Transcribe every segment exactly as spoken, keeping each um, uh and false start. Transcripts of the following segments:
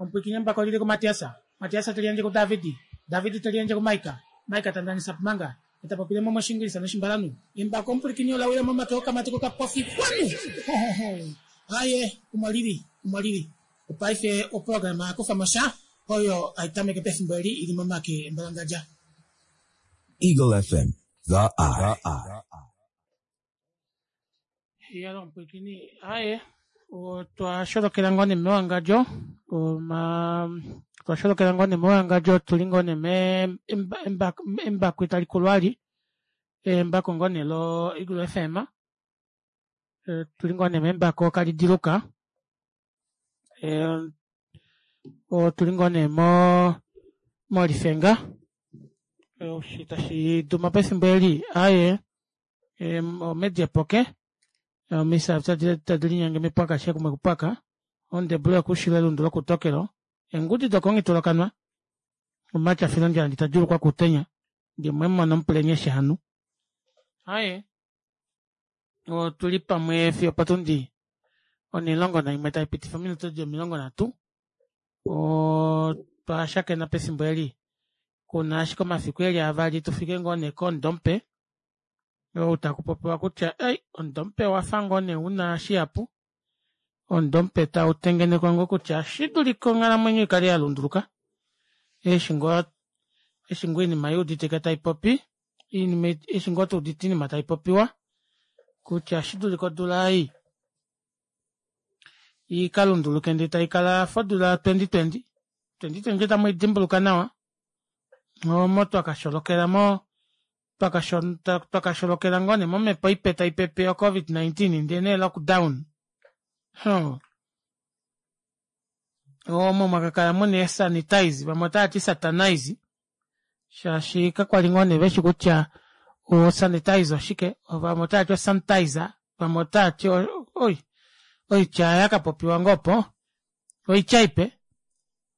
Omupwiikini embako lili kuMatias, Matias teliyandje kuDavid, David teliyandje kuMaika, Maika tandanisa pumanga etapopile mo moshingilisa noshimbalanhu. Embako omupwilikini ola wila momake okamati kokapofi kwanu. Aye, omo lili, omo lili. Opaife oprograma yakufa sha oyo aitameke pefimbo eli ili momake embalangadja. Eagle F M, the eye. Yalo omupwilikini, aye, otwa sholokela ngoo nee mewangadjo, oma otwa sholokela ngoo nee mewangadjo tuli ngoo nee me embako itali embako ngoo nee lo Eagle F M, tuli ngoo nee membako kalidiluka, otuli ngoo nee mo molifenga eshi tashi duma pefimbo eli aaye omedi epoke omisa tadilinyenge mepwaka keshe umwe okupwaka ondebula yokuushilo elundu lokuutokelo eengudi dokomungitulwa omumati afila ondjala ndee tadjuulukwa kuutenya ndee mwemumona omupulenye eshi hanu. Aaye otuli pamwe fiyo opotundi onimulongo naimwe taipitifa ominute dili omilongo nhatu otwa shakena pefimbo eli kuna ashike omafiku eli avali tufike ngoo nee komudo mupe ou takupopiwa kutya ei omudo mupe owafa ngoo nee una shihapu omudo mupe tautengenekwa ngoo kutya oshidulika onghalamwenyo ikale yalunduluka eshi ngoo eshi ngoo oinima yuuditike taipopi oinima eshi ngoo tuudite oinima taipopiwa kutya oshidulika odula ei ikalunduluke ndee taikala yafa odula ya twenty twenty twenty twenty otamwiidimbuluka nawa omo twakasholokela mo twakasholokela ngoo nee momepo ipe taipepe yo covid nineteen ndee nee lockdown hmm. Omo mwakakala muna eesanitize vamwe otaati satanize shaashi kakwali ngoo nee veshi kutya osanitize oshike vamwe otaati osanitizer vamwe otaati oi oitya yakapopiwa ngoo opo oitya ipe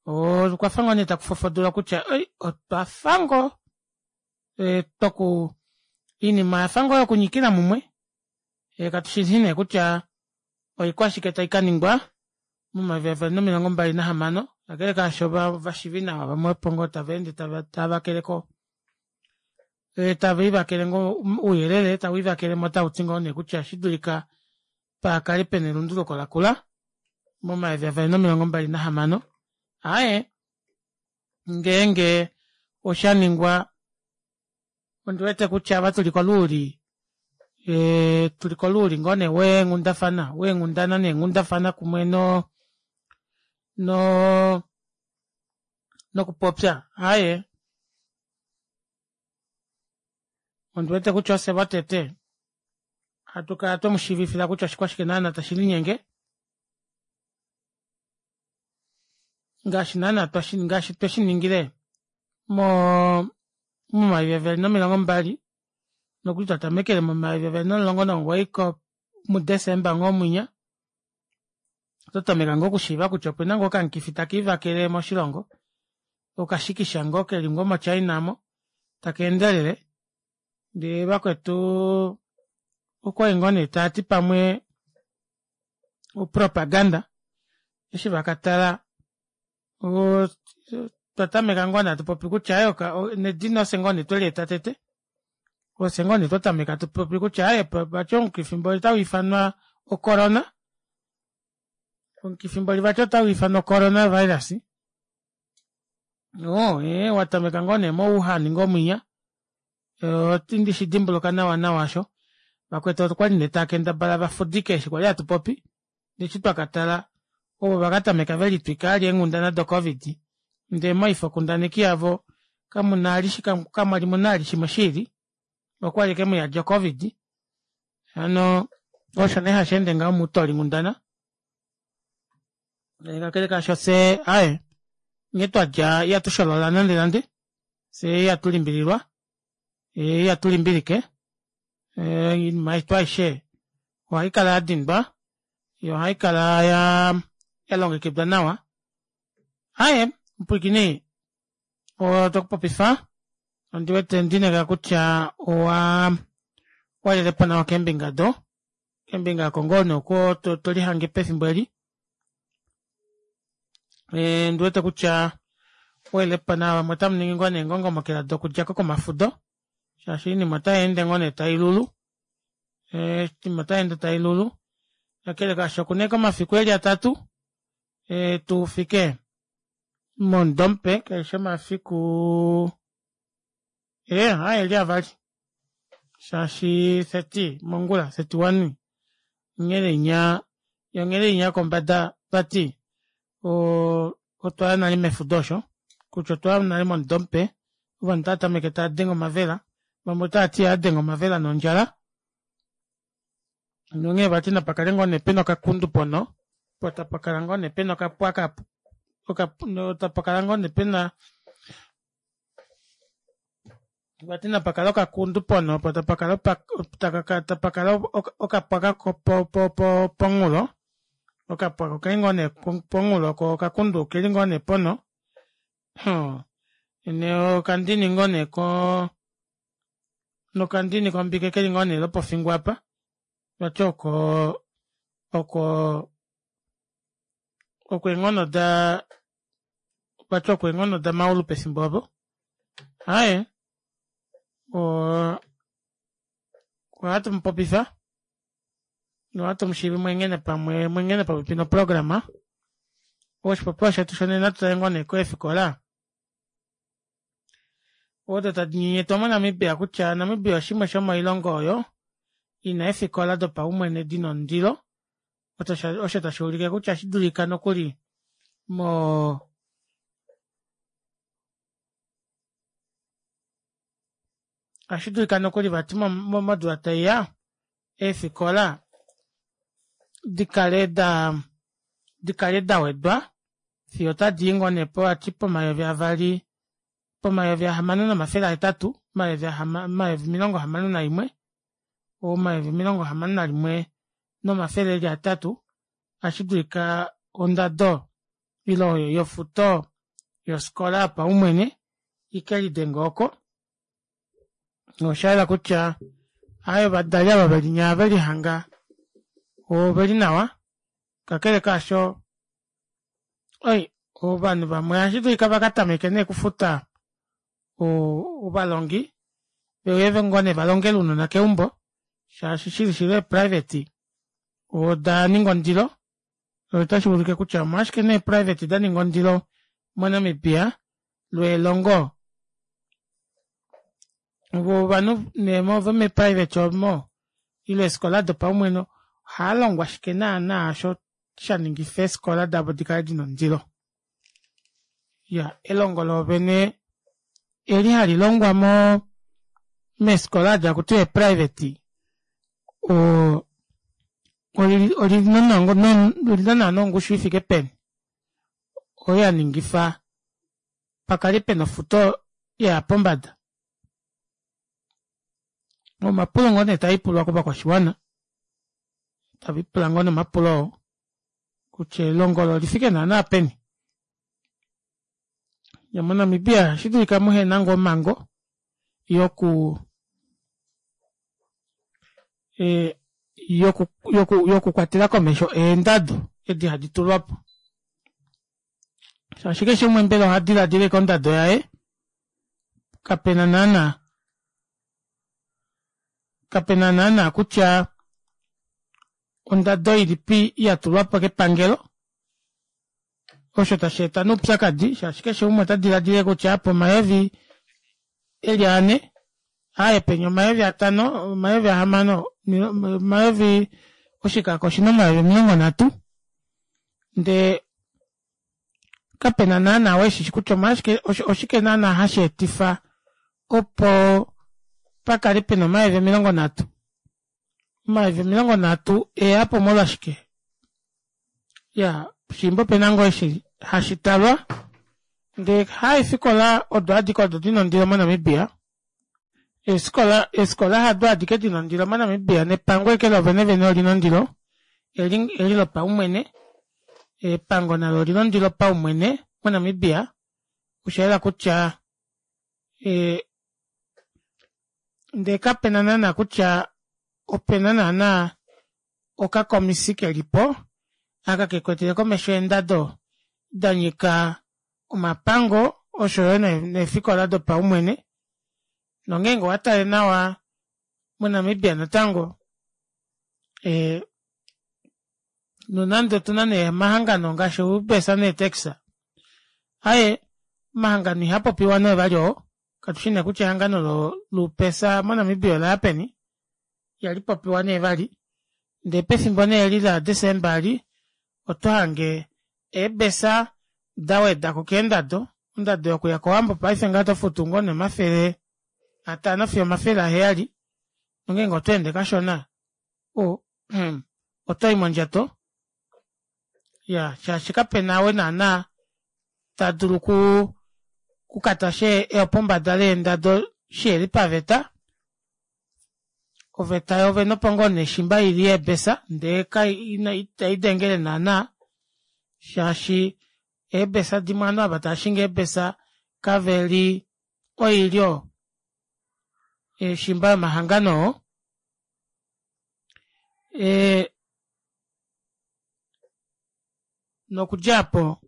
okwafa ngoo nee takufofodula kutya oi otwafa ngoo toku oinima oyafa ngoo yokunyikila mumwe katushi nee kutya oikwashike taikaningwa momayovi avali nomilongo mbali nahamano kakele kaasho vashivi nawa vamwe opo ngoo tavaende tavakeleko tavaivakele ngoo ouyelele tawiivakelemo tauti ngoo nee kutya oshidulika pakale pena elunduluko lakula momayovi avali nomilongo mbali nahamano. Aaye ngeenge oshaningwa ondiwete kutya ava tuli koluuli tuli koluuli ngoo nee weenghundafana weenghundana neenghundafana kumwe no no nokupopya aaye ondiwete kutya ofye votete hatukala twemushiivifila kutya oshikwashike naana tashilinyenge ngaashi naana ngaashi tweshiningile mo momayovi avali nomilongo mbali nokuli twatamekele momayovi avali nomulongo nomugoyi muDesemba ngoo mwinya ototameka ngoo okushiiva kutya opena ngoo okamukifi takiivakele moshilongo okashikisha ngoo keli ngoo moChina mo takeendelele ndee vakwetu okwali ngoo nee taati pamwe opropaganda eshi vakatala twatameka ngoo nee hatupopi kutya nedina ofye ngoo nee tweleeta tete ofye ngoo nee twatameka tupopi kutya aaye vati omukifi mboli otauifanwa ocorona omukifi mboli vati otauifanwa ocorona virus oo ee watameka ngoo nee mo Wuhan ngoo mwinya otandi dimbuluka nawa nawa osho vakwetu okwali nee taakendabala vafudike eshi kwali hatupopi eshi twakatala ovo vakatameka velitwika vali eenghundana do covid ndee moifokundaneki yavo kamuna kamwali muna vali shimwe shiili okwali ashike muyadi o covid hano osho nee hasheende ngaho moutolinghundana kakele kaasho fyee aaye nghee twadja ihatusholola nande nande fyee ihatulimbililwa ihatulimbilike oinima yetu aishe ohaikala yadindwa yoo ohaikala yalongekidwa nawa. Aaye omupwiikini otokupopifa ondiwete ndineka kutya owa walelepo nawa keembinga do keembinga oko ngoo nee oko tolihange pefimbo eli Ndiwete kutya welepa nawa vamwe otamuningi ngoo nee eengongomokela dokudjako komafudo shaashi oinima otayeende ngoo nee tailulu oinima otayeende tailulu kakele kaasho okuna ashike omafiku eli atatu tufike momudo mupe kayishi omafiku ee aaye oeli avali shaashi thirty mongula thirty one onghele inya onghele inya yokombada vati oo otwaya nale mefudo osho kutya otwaya nale momudo mupe ovanhu otava tameke taadenge omavela vamwe otavati ohaadenge omavela nondjala nonghee vati napakale ngoo nee pena okakundu ponho poo tapakala ngoo nee pena okapwaka tapakala ngoo nee pena vati napakale okakundu ponho poo tapakala okapwaka pomunghulo okapwaka okeli ngoo nee pomunghulo koo okakundu okeli ngoo nee ponho mhh nokandini ngoo nee koo nokandini kombike keli ngoo nee lopofingo aapa vati oko oko oko eenghono daa vati oko eenghono damaulu pefimbo opo aaye oo ohatumupopifa nohatu mushivi mweehene pamwe mweehene popepi noprograma oshipopiwa shetu shonena natu tale ngoo nee keefikola odo tadi nyenyetwa mo namibia kutya namibia oshimwe shomoilongo oyo ina eefikola dopaumwene dina ondilo osho tashuulike kutya ohashidulika nokuli moo ohashidulika nokuli vati modula taiya eefikola dikale daa dikale dawedwa fiyo otadii ngoo nee vati pomayovi avali pomayovi ahamano nomafele ahetatu omayovi omilongo hamano naimwe omayovi omilongo hamano nalimwe nomafele eli ahetatu ohashidulika ondado ile yofuto yofikola yopaumwene ikelidenge oko noshayela kutya aaye ovadali ava velinya velihanga oveli nawa kakele kaasho oi ovanhu vamwe ohashidulika vakatameke nee okufuta ovalongi veuye ngoo nee valongele ounona keumbo shaashi shili shili ee private odaninga ondilo otashuulike kutya omolwashike nee private daninga ondilo mo namibia loo elongo voo ovanhu nee vomee private omo ile eefikola dopaumwene ohaalongwa shike naana osho shaningifa eefikola davo dikale dina ondilo iyaa elongo loovene eli halilongwa moo meefikola aadi hakutiwa ee private oo olina naana ongushu ifike peni oyo yaningifa pakale pena ofuto yaya pombada omapulo ngoo nee taaipulwa kovakwashiwana taviipula ngoo nee omapulo oo kutya elongo olo olifike naana peni mo namibia ohashidulika muhena ngoo omango yoku yoku kwatela komesho eendado edi hadi tulwapo shaashi keshe umwe mbela ohadilaadila ashike ondado yaye kapena naana kapena naana kutya ondado ilipi yatulwapo kepangelo osho tasheeta nee oupyakadi shaashi keshe umwe otadilaadila ashike kutya apa omayovi eli anhe aaye penya omayovi atano omayovi ahamano omayovi oshikako oshina omayovi omilongo nhatu ndee kapena naana ou eshishi kutya omolwashike oshike naana hasheetifa opo pakale pena omayovi omilongo nhatu omayovi omilongo nhatu eeyapo molwashike iyaa puushiimba opena ngoo eshi hashitalwa ndee haifikola odo adike odo dina ondilo mo namibia eefikola hado adike dina ondilo mo namibia nepango ashike loovene vene olina ondilo eli lopaumwene epango nalo olina ondilo paumwene mo namibia oshayela kutya ee ndee kapena naana kutya opena naana okakomisi kelipo aka kekwetele komesho eendado Danyika omapango oshoyo neefikola dopaumwene nongeenge owatale nawa mo namibia natango ee nonande otuna nee omahangano ngaashi oubesa nee taxi aaye omahangano ihapopiwa nee vali oo katushi nee kutya ehangano loubesa mo namibia olaya peni ihalipopiwa nee vali ndee pefimbo nee eli la december eli otohange eebesa dawedako keendado ondado yokuya kowambo paife ngaha otofutu ngoo nee omafele atano fiyo omafele aheyali nongenge otweende kashona oo otoyi mondjato iyaa shaashi kapena ou naana tadulu okuu okukatasha eyopombada leendado shiheli paveta oveta yoovene opo ngoo nee shimba ili yeebesa ndee itaidengele naana shaashi eebesa dimwe ovanhu ava taashingi eebesa kaveli oilyo shimba yomahangano oo ee nokudja aapo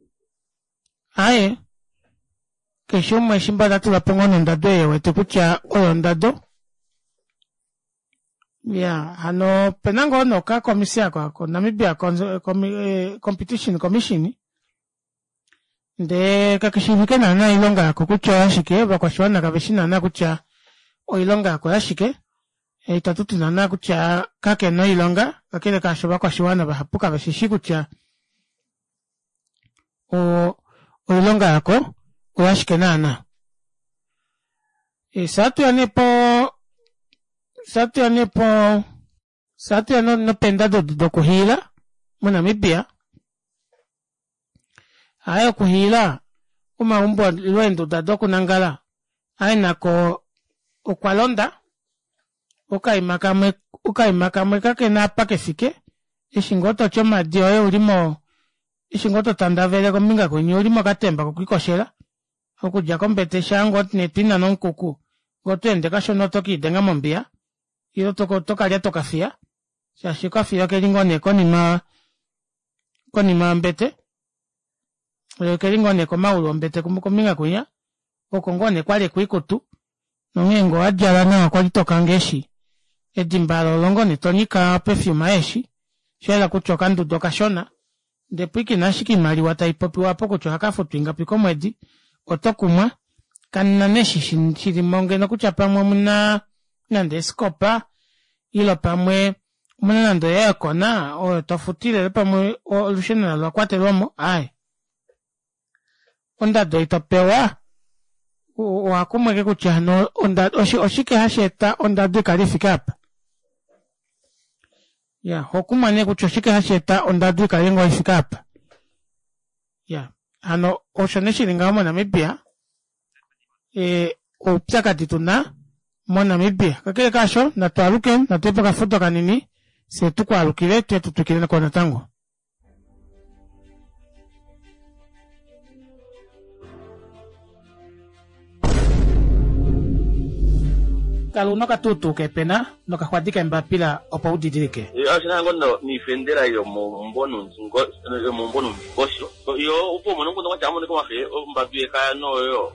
aaye keshe umwe shimba otatulapo ngoo nee ondado ei ewete kutya oyo ondado iyaa hano opena ngoo nee okakomisi aako ko namibia competition commission ndee kakeshiivike naana oilonga yako kutya oyashike ovakwashiwana kaveshi naana kutya oilonga yako oyashike itatuti naana kutya kakena oilonga kakele kaasho ovakwashiwana vahapu kaveshishi kutya oo oilonga yako oyashike naana. Fyee ohatuya nee poo fyee ohatuya nee poo fyee ohatuya nopeendado edi dokuhiila mo namibia aaye okuhiila omaumbo ile eenduda dokunangala aaye nako okwalonda okaima kamwe okaima kamwe kakena apa kefike eshi ngoo toti omadi oye uli moo eshi ngoo totandavele kombinga kwinya ouli mokatemba kokwiikoshela okudja kombete shaangoo nee twiinane omukuku ngee otweende kashona oto kelidenga mombiya ile otokalyata okafiya shaashi okafiya okeli ngoo nee konima konima yombete okeli ngoo nee komaulu ombete kombinga kwinya oko ngoo nee kwalekwa oikutu nonghee ngee owadjala nawa kwali tokanga eeshi edimba aalo olo ngoo nee tonyika o perfume yeeshi oshayela kutya okanduda okashona ndee pwiikina ashike oimaliwa taipopiwa aapo kutya ohakafutwa ingapi komwedi otokumwa kamuna nee eshi shilimo ngeno kutya pamwe omuna nande eeskopa ile pamwe omuna nande o aircona oyo tofutile ile pamwe olusheno nalo olakwatelwamo aaye ondado ei topewa owakumwa ashike kutya hano oshike hasheeta ondado ikale ifike aapa iyaa ohokumwa nee kutya oshike hasheeta ondado ikale ngoo ifike aapa iyaa hano osho nee shili ngaho mo namibia ee oupyakadi tuna mo namibia kakele kaasho natwaaluke natuye pokafudo kanini fyee tukwaalukile tuye tutwikileko natango. Kala una okatuutuu keepena nokaxwadi keembapila opo udidilike. Oshina ngo niifendela yomomumvo nuundingosho yo opo umone omukundu gwatya amonike omahe ombambi yekaya noyo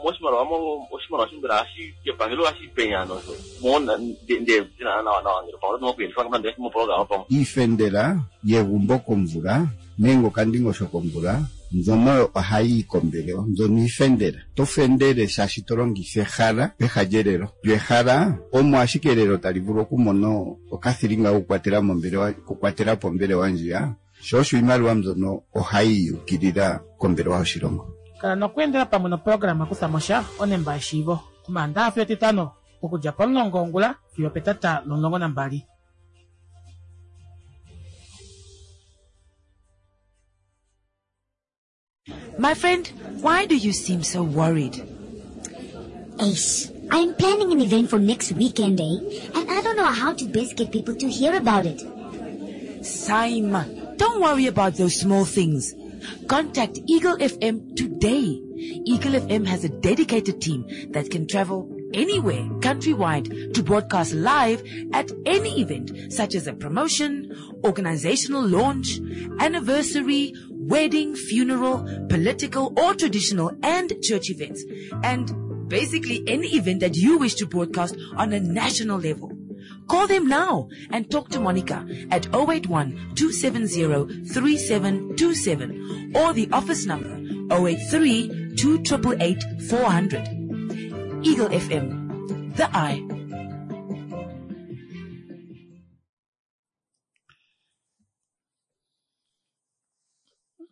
moshimaliwa oshimaliwa shimbela hashi kepangelo hashi penya nosho mona nde nawa nawa ngele pamwe oto nande moprograma pamwe iifendela yegumbo komvula nenge okandingosho komvula mbyono ohayi yi kombelewa mbyono iifendela to fendele shaashi to longitha ehala peha lyelelo lyo ehala omo ashike elelo tali vulu okumona okathilinga kokukwatela mombelewa okukwatela po ombelewa ndjiya sho osho iimaliwa mbyono ohayi yukilila kombelewa yoshilongo. Kala nokweendela pamwe noprograma Kuthamosha onemba yeshiivo Omaandaxa fiyo Etitano okudja pomulongo wongula fiyo opetata lomulongo nambali. My friend, why do you seem so worried? Ace, I'm planning an event for next weekend, eh? And I don't know how to best get people to hear about it. Saima, don't worry about those small things. Contact Eagle F M today. Eagle F M has a dedicated team that can travel anywhere countrywide to broadcast live at any event, such as a promotion, organizational launch, anniversary, Wedding, funeral, political or traditional and church events. And basically any event that you wish to broadcast on a national level. Call them now and talk to Monica at oh eight one, two seven zero, three seven two seven or the office number oh eight three, two triple eight, four hundred. Eagle F M, the eye.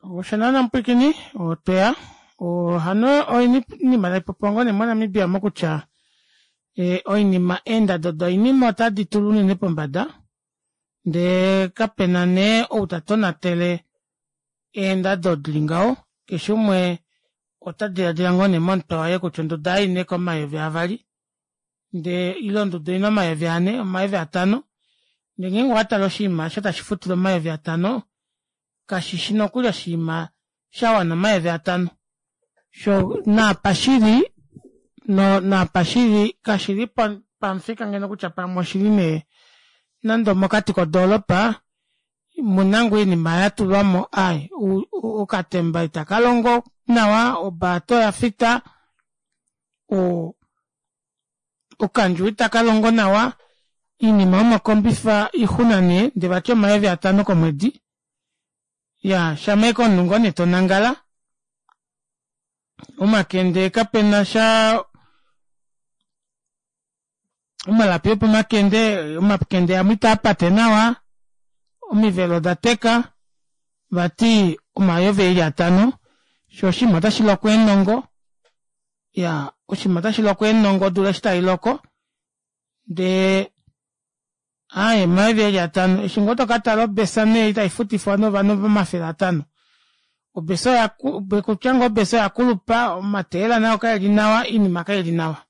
Oshanana mpwikini otweya ohano oinima taipopiwa ngoo nee moNamibia mokutya oinima eendado doinima otadi tula unene pombada ndee kapena nee ou tatonatele eendado dili ngaho keshe umwe ota diladila ngoo nee momutwe waye kutya onduda ei oina ashike omayovi avali ndee ile onduda oina omayovi anhe omayovi atano ndee ngeenge owatale oshinima aasho tashi futilwa omayovi atano kashishi nokuli oshinima shawana omayovi atano shoo naapa shili naapa shili kashili pamufika ngeno kutya pamwe oshili nee nande omokati kodoropa omuna ngoo oinima yatulwamo aaye okatemba itakalongo nawa obaata oyafita oo okandjuwo itakalongo nawa oinima yomokombifa oixuna nee ndee vati omayovi atano komwedi iyaa shama ashike omunhu ngoo nee tonangala omakende kapenasha omalapi opomakende omakende amwe itaapate nawa omivelo odateka vati omayovi eli atano shoo oshinima otashiloko eenhongo iyaa oshinima otashiloko eenhongo odula eshi tailoko ndee aaye omayovi eli atano eshi ngoo tokatala obesa nee ei taifutifwa nee ovanhu omafele atano obesa kutya ngoo obesa oyakulupa omatayela nao kaeli nawa oinima kaili nawa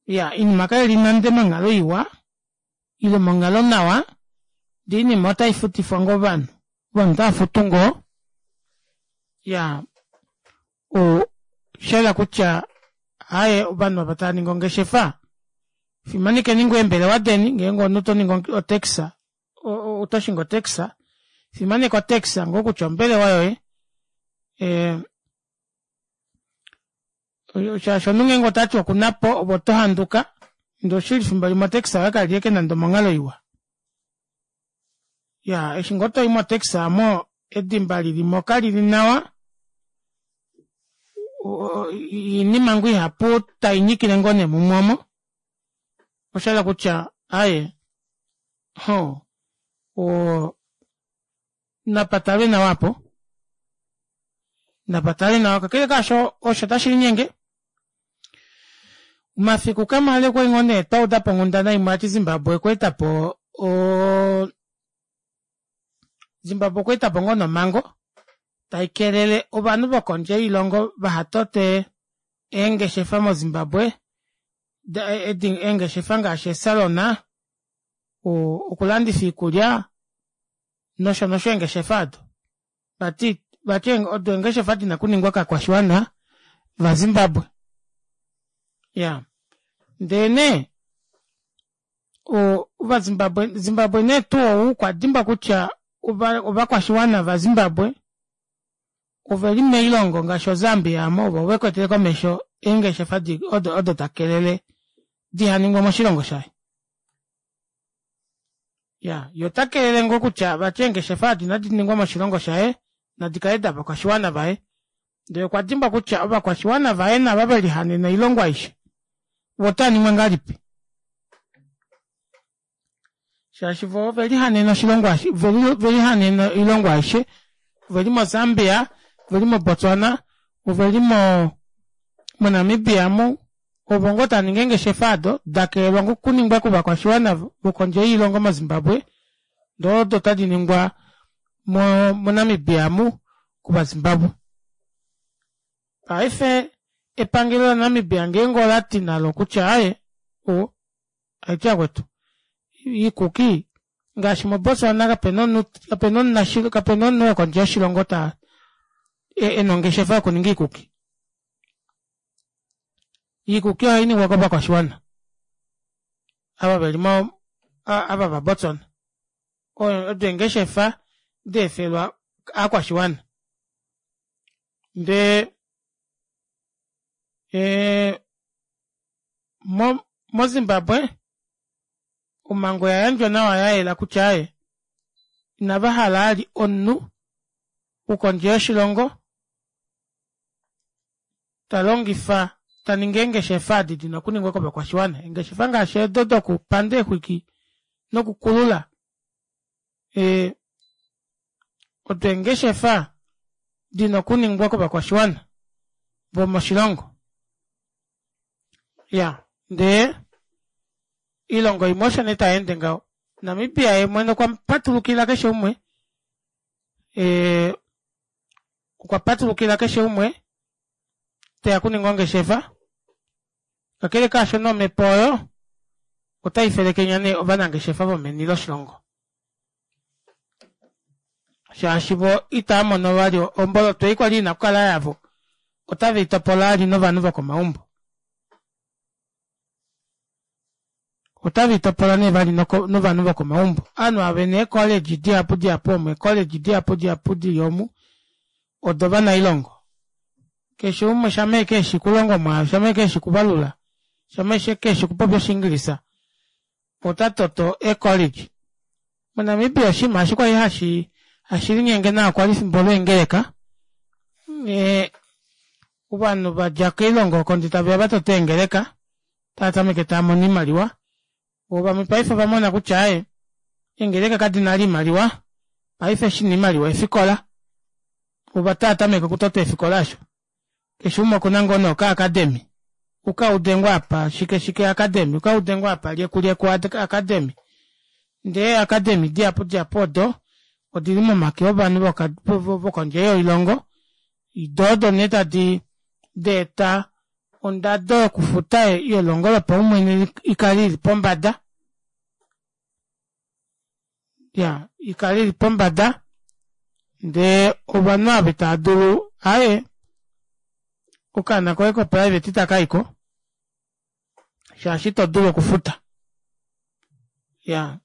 iya oinima kaili nande monghalo iwa ile monghalo nawa ndee oinima otaifutifwa ngoo ovanhu ovanhu otavafutu ngoo iyaa oshayela kutya aaye ovanhu ava tavaningi ongeshefa fimanekeni ngoo eembelewa deni ngeenge omunhu otoningi o taxi otoshingi o taxi fimaneka o taxi ngoo kutya ombelewa yoye ee shaashi omunhu ngeenge otati okunapo ove otohanduka ndee oshili efimbo limwe o taxi yoye kaili ashike nande omonghalo iwa iyaa eshi ngoo toyi mo taxi aamo edimba lilimo kalili nawa oinima ngoo ihapu tainyikile ngoo nee mumwe omo oshayela kutya aaye hoo oo napatalwe nawa aapo napatalwe nawa kakele kaasho osho tashilinyenge omafiku kamale okwali ngoo nee twaudapo onghundana imwe vati Zimbabwe okweetapo oo Zimbabwe okweetapo ngoo nee omango taikelele ovanhu vokondje yoilongo vahatote eengeshefa mo Zimbabwe eengeshefa ngaashi eesalona okulandifa oikulya nosho nosho eengeshefa aado vati vati odo eengeshefa dina okuningwa kovakwashiwana va Zimbabwe iyaa ndee nee ovazimbabwe Zimbabwe nee tuu ou okwadimbwa kutya ovakwashiwana va Zimbabwe oveli moilongo ngaashi o Zambia aamo ovo vekwetele komesho eengeshefa odo takelele dihaningwe moshilongo shaye iya yee otakelele ngoo kutya vati eengeshefa edi inadiningwa moshilongo shaye nadikale davakwashiwana vaye ndee okwa dimbwa kutya ovakwashiwana vaye nava velihanena oilongo aishe voo otaaningwa ngahelipi shaashi voo ovelihanena oshilongo ovelihanena oilongo aishe oveli mo Zambia oveli mo Botswana oveli mo moNamibia amu ovo ngoo taaningi eengeshefa aado dakelelwa okuningwa kovakwashiwana vokondje yoilongo mo Zimbabwe ndee odo tadiningwa moNamibia amu kovazimbabwe paife epangelo la Namibia ngeenge olati nalo kutya aaye haiti vakwetu iikuki ngaashi mo Botswana kapena omunhu kapena omunhu wokondje yoshilongo ta ena ongeshefa yokuninga iikuki iikuki ohainingwa kovakwashiwana ava veli mo ava va Botswana odo eengeshefa daefelwa aakwashiwana. Ndee ee mo moZimbabwe omhango oyayandjwa nawa yayela kutya aaye inavahala vali omunhu wokondje yoshilongo talongifa taningi eengeshefa edi dina okuningwa kovakwashiwana eengeshefa ngaashi eedo dokupanda eexwiki nokukulula ee odo eengeshefa dina okuningwa kovakwashiwana vomoshilongo. Iyaa ndee oilongo imwe osho nee tayeende ngaho Namibia yeemwene okwapatulukila keshe umwe ee okwapatulukila keshe umwe teya okuninga ongeshefa kakele kaashono omepo oyo otaifelekenya nee ovanangeshefa vomeni loshilongo shaashi voo itaamono vali omboloto ei kwali ina okukala yavo otaveitopola vali novanhu vokomaumbo otaveitopola nee vali novanhu vokomaumbo ovanhu ava vena ee college dihapu dihapu omu ee college dihapu dihapu dili omu odovanailongo keshe umwe shama ashike eshi okulonga omwaalu shama ashike eshi okuvalula shama ashike eshi okupopya oshingilisa otatoto ee college mo Namibia oshinima eshi kwali hashi hashilinyenge nawa kwali efimbo leengeleka ee ovanhu vadja koilongo oko ndee taveya vatote eengeleka otaatameke taamono oimaliwa voo vamwe paife ovamona kutya aaye eengeleka kadina vali oimaliwa paife shina oimaliwa eefikola voo otaatameke okutota eefikola aasho keshe umwe okuna ngoo nee oka academy ukaude ngoo apa shike shike academy ukaude ngoo apa lyeku lyeku academy ndee ee academy dihapu dihapu odo odili momake ovanhu vokondje yoilongo doo odo nee tadi daeta ondado yokufuta yelongo lopaumwene ikale ili pombada iyaa ikale ili pombada ndee ovanhu ava itaadulu aaye okaana koye ko private itakayiko shaashi itodulu okufuta iyaa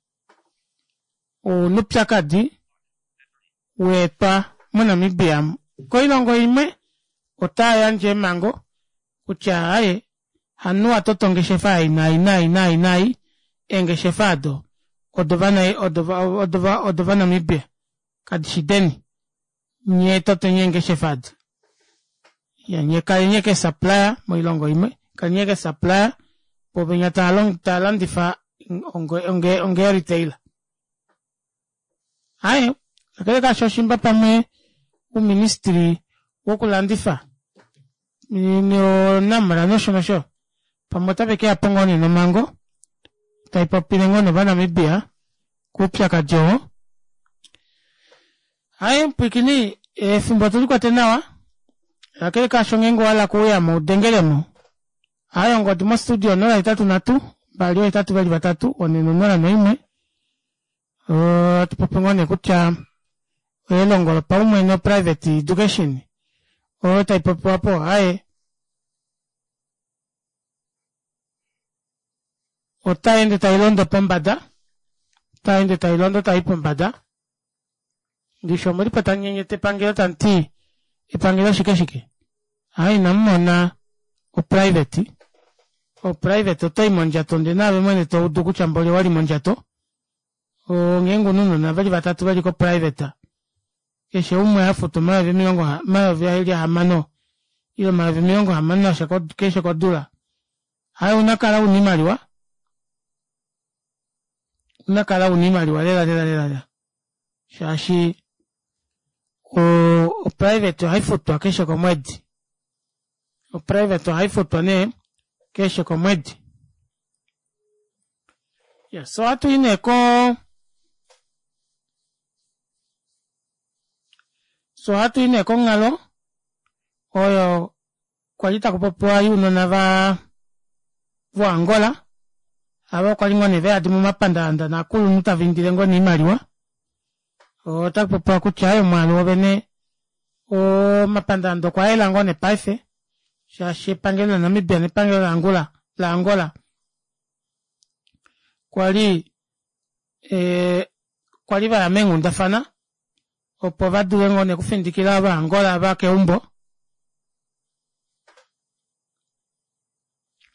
ouna oupyakadi waetwa mo Namibia amu koilongo imwe otaayandje eemango kutya aaye hamunhu watoto ongeshefa ei naai naai naai naai eengeshefa aado odova odova Namibia kadishi deni nyee toteni eengeshefa aado iyaa nyee kaleni ashike ee supplier moilongo imwe kaleni ashike ee supplier voo venya tavalandifa onga onga retailer aaye kakele kaasho shimba pamwe ouministry wokulandifa no namra nosho nosho pamwe otavekeyapo ngoo nee nomhango taipopile ngoo nee ovanamibia koupyakadi oo. Aaye mupwiikini efimbo otulikwete nawa kakele kaasho ngeenge owahala okuuyamo udengelemo aaye ongodi mo studio onola hetatu nhatu mbali oohetatu veli vatatu onhe nonola noimwe ohatupopi ngoo nee kutya elongo lopaumwene o private education oyo taipopiwa aapo aaye otayeende tailondo pombada otayeende tailondo tayi pombada ndishi omulipo tamunyenyeta epangelo tamuti epangelo shike shike aaye inamumona o private o private otoyi mondjato ndee naave mwene toudu kutya mboli owali mondjato ngeenge una ounona veli vatatu veli ko private keshe umwe hafutu omayovi omilongo omayovi eli ahamano ile omayovi omilongo hamano nasha keshe kodula aaye ouna okukala una oimaliwa ouna okukala una oimaliwa lela lela lela shaashi o private ohaifutwa keshe komwedi o private ohaifutwa nee keshe komwedi iya soo ohatuyi nee koo fyee ohatuyi nee konghalo oyo kwali takupopiwa younona vaa vo angola ava kwali ngoo nee veyadi momapandaanda novakulunhu tavaindile ngoo nee oimaliwa otakupopiwa kutya aaye omwaalu wovene omapandaanda okwayela ngoo nee paife shaashi epangelo la namibia nepangelo la la angola kwali ee kwali vaya meenghundafana Opo vadule ngoo nee okufindikila Ovaangola va keumbo.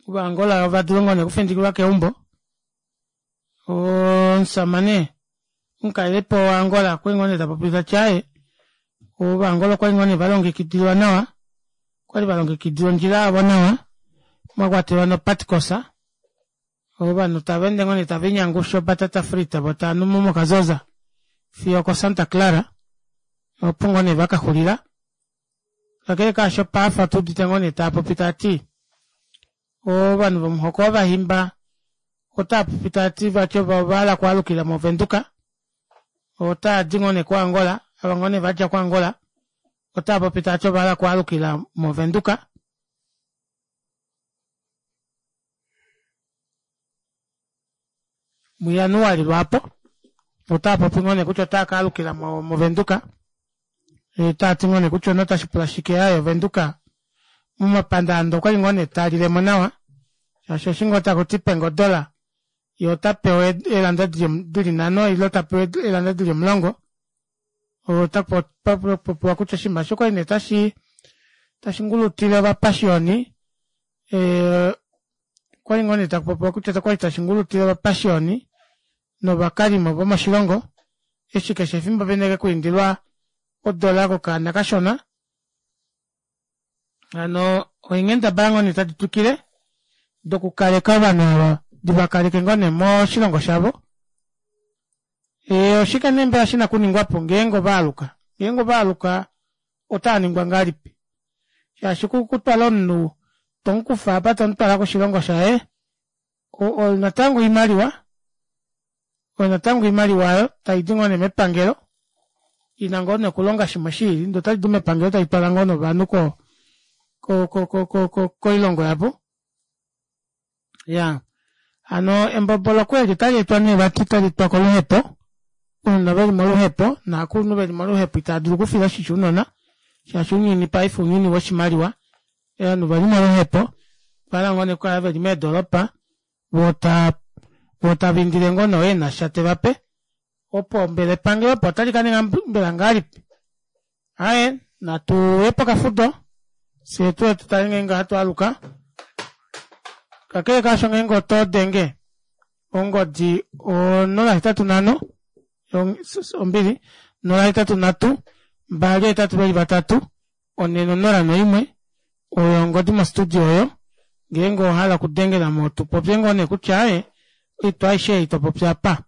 Ovaangola ovadule ngoo nee okufindikilwa keumbo. Omusamane omukalelipo waAngola okwali ngoo nee tapopi tati aaye Ovaangola okwali ngoo nee valongekidilwa nawa, okwali valongekidilwa ondjila yavo nawa mwakwatelwa nopatikosa. Ovanhu tavaende ngoo nee tavinyangusha obatata frita voo taanumo mokazoza fiyo oko Santa Clara opo ngoo nee vakaxulila. Kakele kaasho paife otuudite ngoo nee taapopi taati ovanhu vomuhoko wovahimba otaapopi taati vati ovahala okwaalukila movenduka, otaadi ngoo nee koAngola, ava ngoo nee vadja koAngola otaapopi taati ovahala okwaalukila movenduka. Mujanuali lwaapo otaapopi ngoo nee kutya otaa kaalukila movenduka, taati ngoo nee kutya otashi pula shike aaye ovenduka momapandaanda okwali ngoo nee talilemo nawa shaashi eshi ngoo takuti penge odola yee otapewa eelanda dili nhano ile tapewa eelanda dili omulongo, otakupopiwa kutya oshinima eshi okwali nee tashi tashi ngulutile ovapashioni okwali ngoo nee takupopiwa kutya okwali tashi ngulutile ovapashioni novakalimo vomoshilongo eshi keshe efimbo veneke kwiindilwa odola kokaana kashona. Hano oinghendabala ngoo nee tadi twikile dokukaleka ovanhu ava divakaleke ngoo nee moshilongo shavo. Oshike nee mbela shina okuningwapo ngeenge ovaaluka, ngeenge ovaaluka otaaningwa ngahelipi shaashi kutwala omunhu tomukufa apa tomutwala koshilongo shaye natango oimaliwa, oyo natango oimaliwa oyo taidi ngoo nee mepangelo ina ngoo nee okulonga shimwe shiili ndee otadi mepangelo taitwala ngoo nee ovanhu ko ko ko ko koilongo yavo. Iyaa hano emboboloko eli otali etwa nee vati tali etwa koluhepo, ounona veli moluhepo novakulunhu veli moluhepo itaadulu okufila oshisho ounona shaashi ounyuni paife ounyuni woshimaliwa, ovanhu oveli moluhepo ovahala ngoo nee okukala veli meedoropa voo voo tavaindile ngoo nee oo enasha tevape opo mbela epangelo opo otali kaninga mbela ngahelipi. Aaye natuye pokafudo fyee tuye tutale ngeenge ohatu aluka. Kakele kaasho ngeenge otodenge ongodi onola hetatu nhano ombili nola hetatu nhatu mbali hetatu veli vatatu onhe nonola noimwe oyo ongodi mo studio oyo ngeenge owahala okudengelamo tupopye ngoo nee kutya aaye oitwa aishe ei topopi apa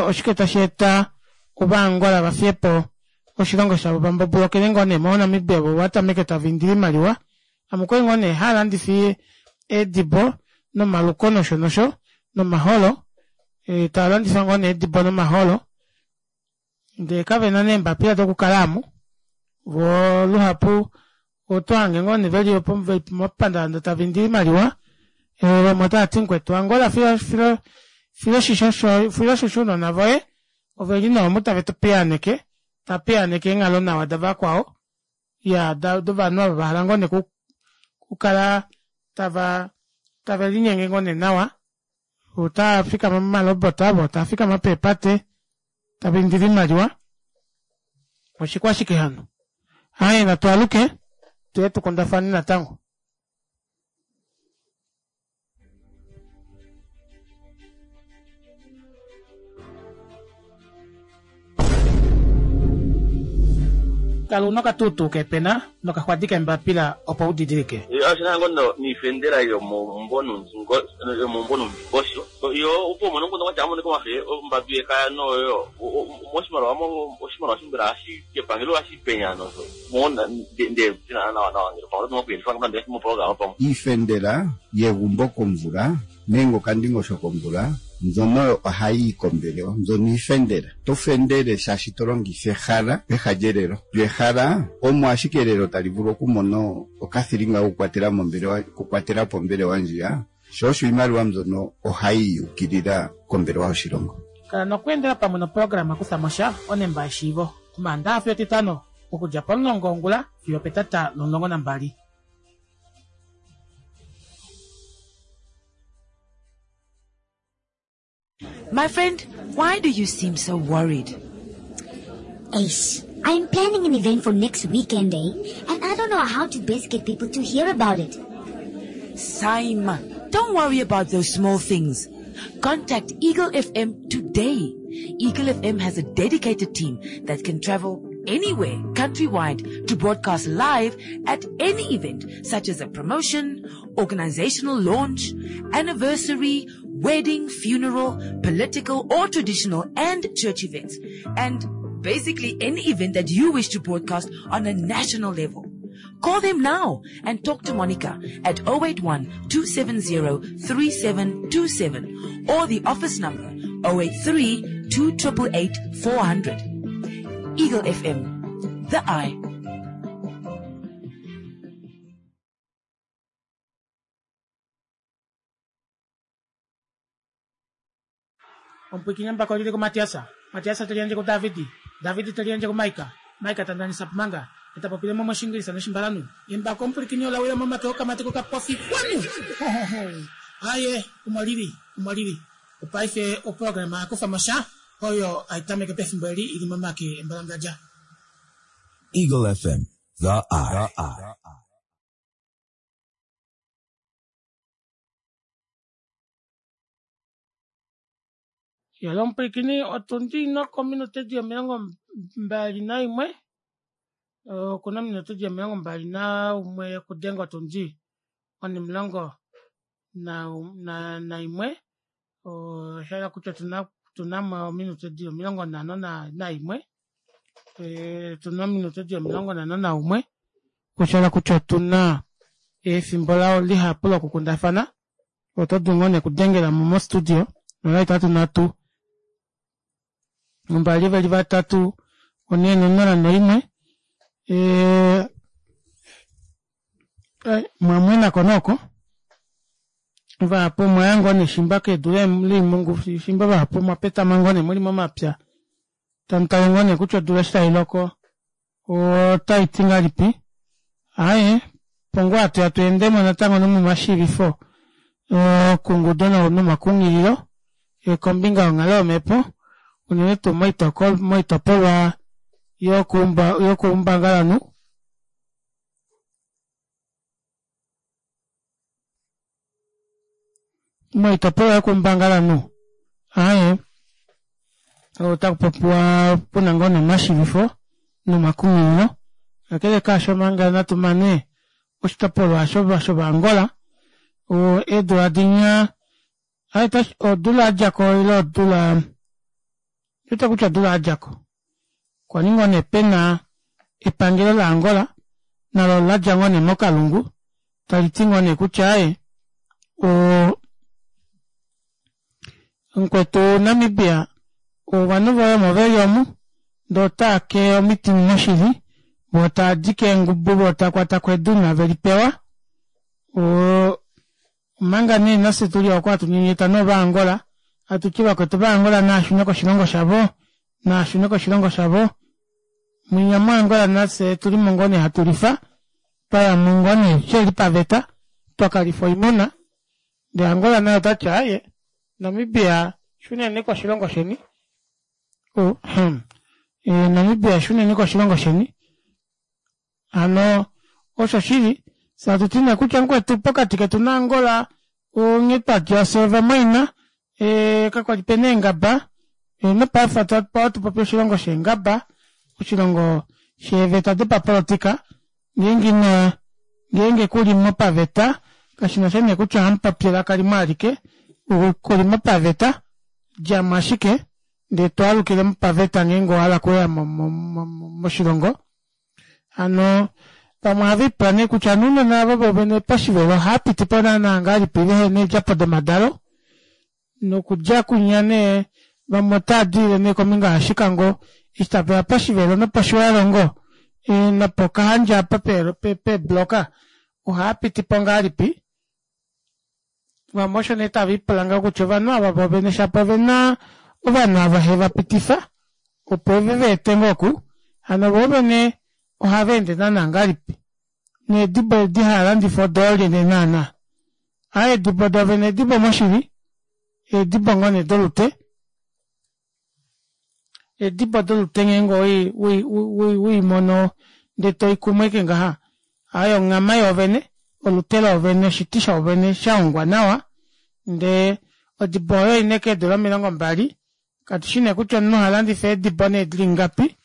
oshike tashi eta Ovaangola vafiyepo oshilongo shavo vambobolokele ngoo nee mo Namibia vo vatameke tavaindile oimaliwa ame okwali ngoo nee haalandifa eedibo nomaluko nosho nosho nomaholo, taalandifa ngoo nee eedibo nomaholo ndee kavena nee eembapila dokukala aamo voo luhapu otohange ngoo nee veli momapandaanda tavaindile oimaliwa vamwe otaati mukwetu Angola fila fila oshisho ounona voye oveli nee omu tave tupiyaaneke tavapiyaaneke eenghalo nawa davakwao iya dovanhu ava vahala ngoo nee okukala tava tave linyenge ngoo nee nawa, otaafikama momalobot avo taafikama peepate tavaindile oimaliwa oshikwashike hano. Aaye natwaaluke tuye tukundafane natango. Kala una okatuutuu kepena nokaxwadi keembapila opo udidilike. Oshina ngoo niifendela yomomumvo nomundingosho yo opo umone omukundu kwatya amonike omafe ombadu yekaya noyo moshimaliwa oshimaliwa shimbela hashi kepangelo hashi penya nosho mona nde nawa nawa ngele pamwe oto nokuyelifa moprograma pamwe. Iifendela yegumbo komvula nenge okandingosho komvula mbyono ohayi yi kombelewa, mbyono iifendela. To fendele shaashi to longitha ehala peha lyelelo. Lyo ehala omo ashike elelo tali vulu okumona okathilinga kokukwatela mombelewa, okukwatela po ombelewa ndjiya, sho osho iimaliwa mbyono ohayi yukilila kombelewa yoshilongo. Kala nokweendela pamwe noprograma Kuthamo Sha onemba yeshiivo Omaandaxa fiyo Etitano okudja pomulongo wongula fiyo opetata lomulongo nambali. My friend, why do you seem so worried? Ace, I'm planning an event for next weekend, eh? And I don't know how to best get people to hear about it. Saima, don't worry about those small things. Contact Eagle F M today. Eagle F M has a dedicated team that can travel anywhere countrywide to broadcast live at any event such as a promotion, organizational launch, anniversary, wedding, funeral, political or traditional and church events, and basically any event that you wish to broadcast on a national level. Call them now and talk to Monica at oh eight one, two seven zero, three seven two seven or the office number oh eight three, two triple eight, four hundred. Eagle F M, the eye. Ompwikinya mbako lili ku Matiasa. Matiasa telienje ku Davidi. Davidi telienje ku Maika. Maika tandanisa pumanga. Etapopile mo moshingilisa noshimbalanu. Embako ompwikinya olawila mo make okamate ko kapofi kwanu. Aye, umwalili, umwalili. Upaife o programa akufa mosha. Oyo aitameke pefimbo eli ili momake embalangaja. Eagle F M, the eye. The eye. Yalo mpwikini otundi noko minute di omilongo mbali na imwe. Okuna minute di omilongo mbali na umwe okudenga otundi onimulongo na, na, na imwe. Oshala kutya tuna, tuna mo minute di omilongo nhano na, na imwe. E, tuna minute di omilongo nhano na umwe. Oshala kutya tuna efimbo lao lihapu lokukundafana. Oto dulu ngoo nekudengela mo mo studio. Nola itatu nhatu. Mbali veli vatatu, one nonola noimwe. E, e, mwamwe nako noko. Vahapu mwayango neshimba kedu limungu, shimba vahapu mwapeta mangone muli momapya. Tamutale ngone kutya odula eshi tai loko, otai ti ngahelipi. Aye, pongo atu ya tuendemo natango nomomashivifo, okungudo nomakunghililo, kombinga yonghalo yomhepo, unene tuu moitopolwa yokuumbangalanhu. Moitopolwa yokuumbangalanhu. Aye, otaku popiwa puna ngoo nomashivifo nomakunghililo. Kakele kaasho manga natu mane oshitopolwa shovangola, eedula dinya, aye odula yadjako ile odula, ita kutya odula yadjako. Kwali ngoo nee pena epangelo la Angola, nalo ladja ngoo nee mokalungu, tali ti ngoo nee kutya aye, mukwetu Namibia, ovanhu voye omo veli omu, ndee otaa ke omiti moshili, voo taadi keengubu voo takwata kweduna veli pewa. Omanga nee nafye tuli oko hatu nyenyeta nOvaangola, hatu ti vakwetu vaAngola naashune koshilongo shavo, naashune koshilongo shavo. Mwinya moAngola nafye tulimo ngoo nee hatu lifa, twaya mo ngoo nee sheli paveta, twakalifa oimuna. Ndee Angola naye otati aye, Namibia shuneni koshilongo sheni. Namibia shuneni koshilongo sheni. Hano osho shili, hatu ti nee kutya mukwetu pokati ketu naAngola, onghee twadja fye ovamwaina, kakwali pena eengaba, nopaife ohatu popi oshilongo sheengaba, oshilongo sheeveta dopapolitika, ngeenge ina ngeenge kulimo paveta, kashinasha nee kutya ohamupopi elaka limwe alike, kulimo paveta, djamo ashike, ndee twaalukile mopaveta ngeenge owahala okuya moshilongo. Hano pamwe ohava nee kutya nounona avo vovene poshivelo ohapiti po naana ngahelipi vehena eedjapo domadalo, nokudja kunya nee vamwe otava nee kombinga yaShikango, eshi taveya poshivelo noposhiwalongo, nopokahandja apa peebloka, ohapiti po ngahelipi. Vamwe osho nee tava ipula ngaho kutya ovanhu ava vovene shapo ovena ovanhu ava heva pitifa, opo ve veete ngoo oku, hano vovene ohava ende naana ngahelipi. Needibo edi haalandifa odoolye naana. Aye eedibo dovene eedibo moshili, eedibo ngoo nee dolute. Eedibo dolutenge ngeenge oweimono ndee toikumwe ashike ngaha aaye onghama yoovene olute loovene oshiti shoovene shahongwa nawa ndee odibo oyo oina ashike eedula omilongo mbali katushi nee kutya omunhu ohalandifa eedibo nee dili ngapi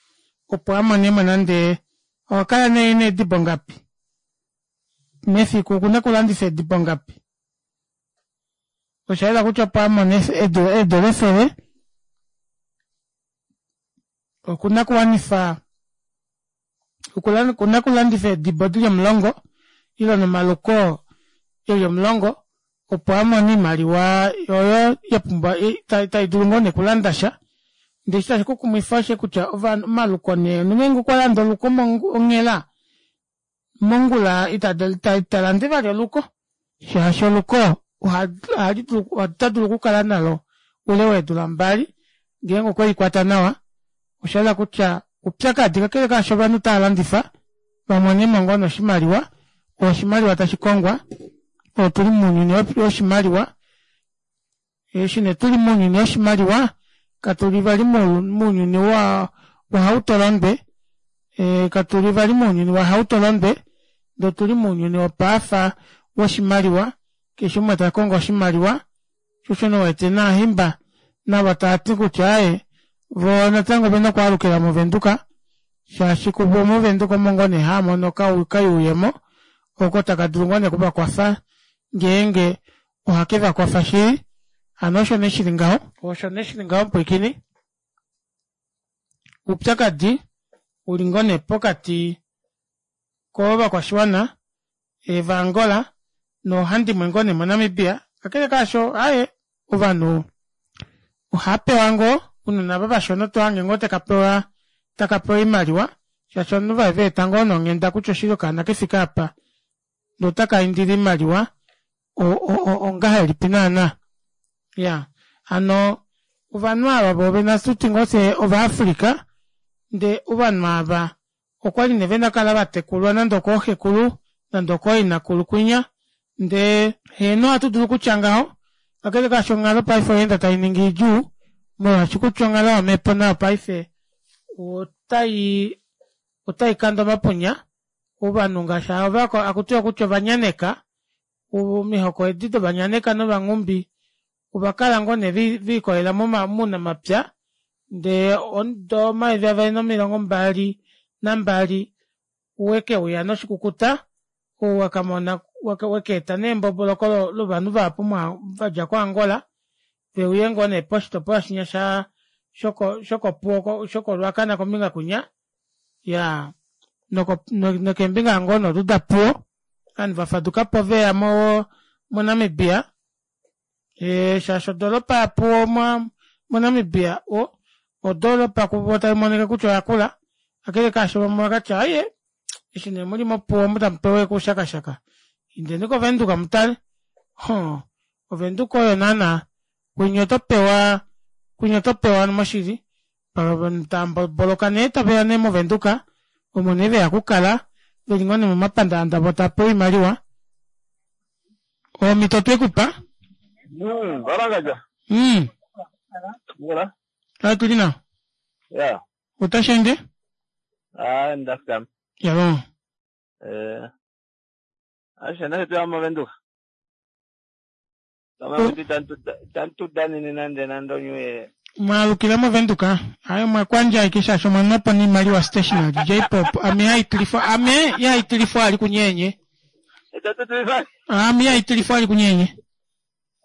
opo amonemo nande ohakala nee ena eedibo ngapi mefiku okuna okulandifa eedibo ngapi oshayela kutya opo amone eedola efele okuna okuwanifa okuna okulandifa eedibo dili omulongo ile nomaluko eli omulongo opo amone oimaliwa oyo yapumbwa taidulu ngoo nee okulandasha ndee eshi tashi kukumwifa osho kutya omaluko nee omunhu ngeenge okwalande oluko onghela mongula italande vali oluko shaashi oluko otadulu okukala nalo oule weedula mbali ngeenge okwelikwata nawa oshayela kutya oupyakadi kakele kaasho ovanhu otavalandifa vamonemo ngoo nee oshimaliwa oshimaliwa tashikongwa otuli mounyuni woshimaliwa eshi nee tuli mounyuni woshimaliwa katuli vali mounyuni wahautolondwe katuli vali mounyuni wahautolondwe ndee otuli mounyuni wopaife woshimaliwa keshe umwe takongo oshimaliwa shoo osho nee uwete novahimba navo tavati kutya aaye voo natango ovena okwaalukila movenduka shaashi kuvo movenduka omo ngoo nee haamono okayuuyemo oko taka dulu ngoo nee okuvakwafa ngeenge ohakevakwafa shili hano osho nee shili ngaho osho nee shili ngaho mupwiikini oupyakadi uli ngoo nee pokati kovakwashiwana vaangola noohandimwe ngoo nee monamibia kakele kaasho aaye ovanhu ohaapewa ngoo ounona ava vashona otohange ngoo takapewa takapewa oimaliwa shaashi ovanhu veeta ngoo nonghenda kutya oshili okaana kefike aapa ndee otakaindile oimaliwa ongahelipi naana iyaa hano ovanhu ava voovene ohatuti ngoo fyee ova africa ndee ovanhu aava okwali nee vena okukala vatekulwa nande okooxekulu nande okooinakulu kwinya ndee heeno ohatu dulu okutya ngaho kakele kaasho onghalo paife oyaenda tainingi idjuu molwaashi kutya onghalo yomepo nayo paife otai otaikande omapunya ovanhu ngaashi ava hakutiwa kutya ovanyaneka omihoko edi dovanyaneka novanghumbi ovakala ngoo nee velikolelela mounamapya ndee omudo omayovi avali nomilongo mbali nambali wekeuya noshikukuta ou wakamona wekaeta nee emboboloko lovanhu vahapu vadja ko angola veuye ngoo nee poshitopolwa shinya sha shokopuwo shoko ruacana kombinga kwinya iyaa nokeembinga ngoo nee odo dapuwo ovanhu vafadukapo veya monamibia shaashi odoropa yapuwo monamibia odoropa kuvo taimonika kutya oyakula kakele kaasho vamwe ovakatya aaye eshi nee muli mopuwo omu tamupewa ashike oushakashaka indeni kovenduka mutale hoo ovenduka oyo naana kwinya otopewa kwinya otopewa moshili ovanhu taamboboloka nee taveya nee movenduka omo nee veya okukala veli ngoo nee momapandaanda voo tavapewa oimaliwa omito twekupa mm otuli nawa Ya. otasheende Ah, ndafikama. yalo Eh. Ashe na tuya movenduka. Kama kuti tantu tantu danini nande nando nywe. Mwalukila movenduka aye mwakwandja ashike shaashi omwamwapo noimaliwa stationary jpop ame yaitilifwa ame yaitilifwa ali kunyenye Tatu tuifa. ame yaitilifwa ali kunyenye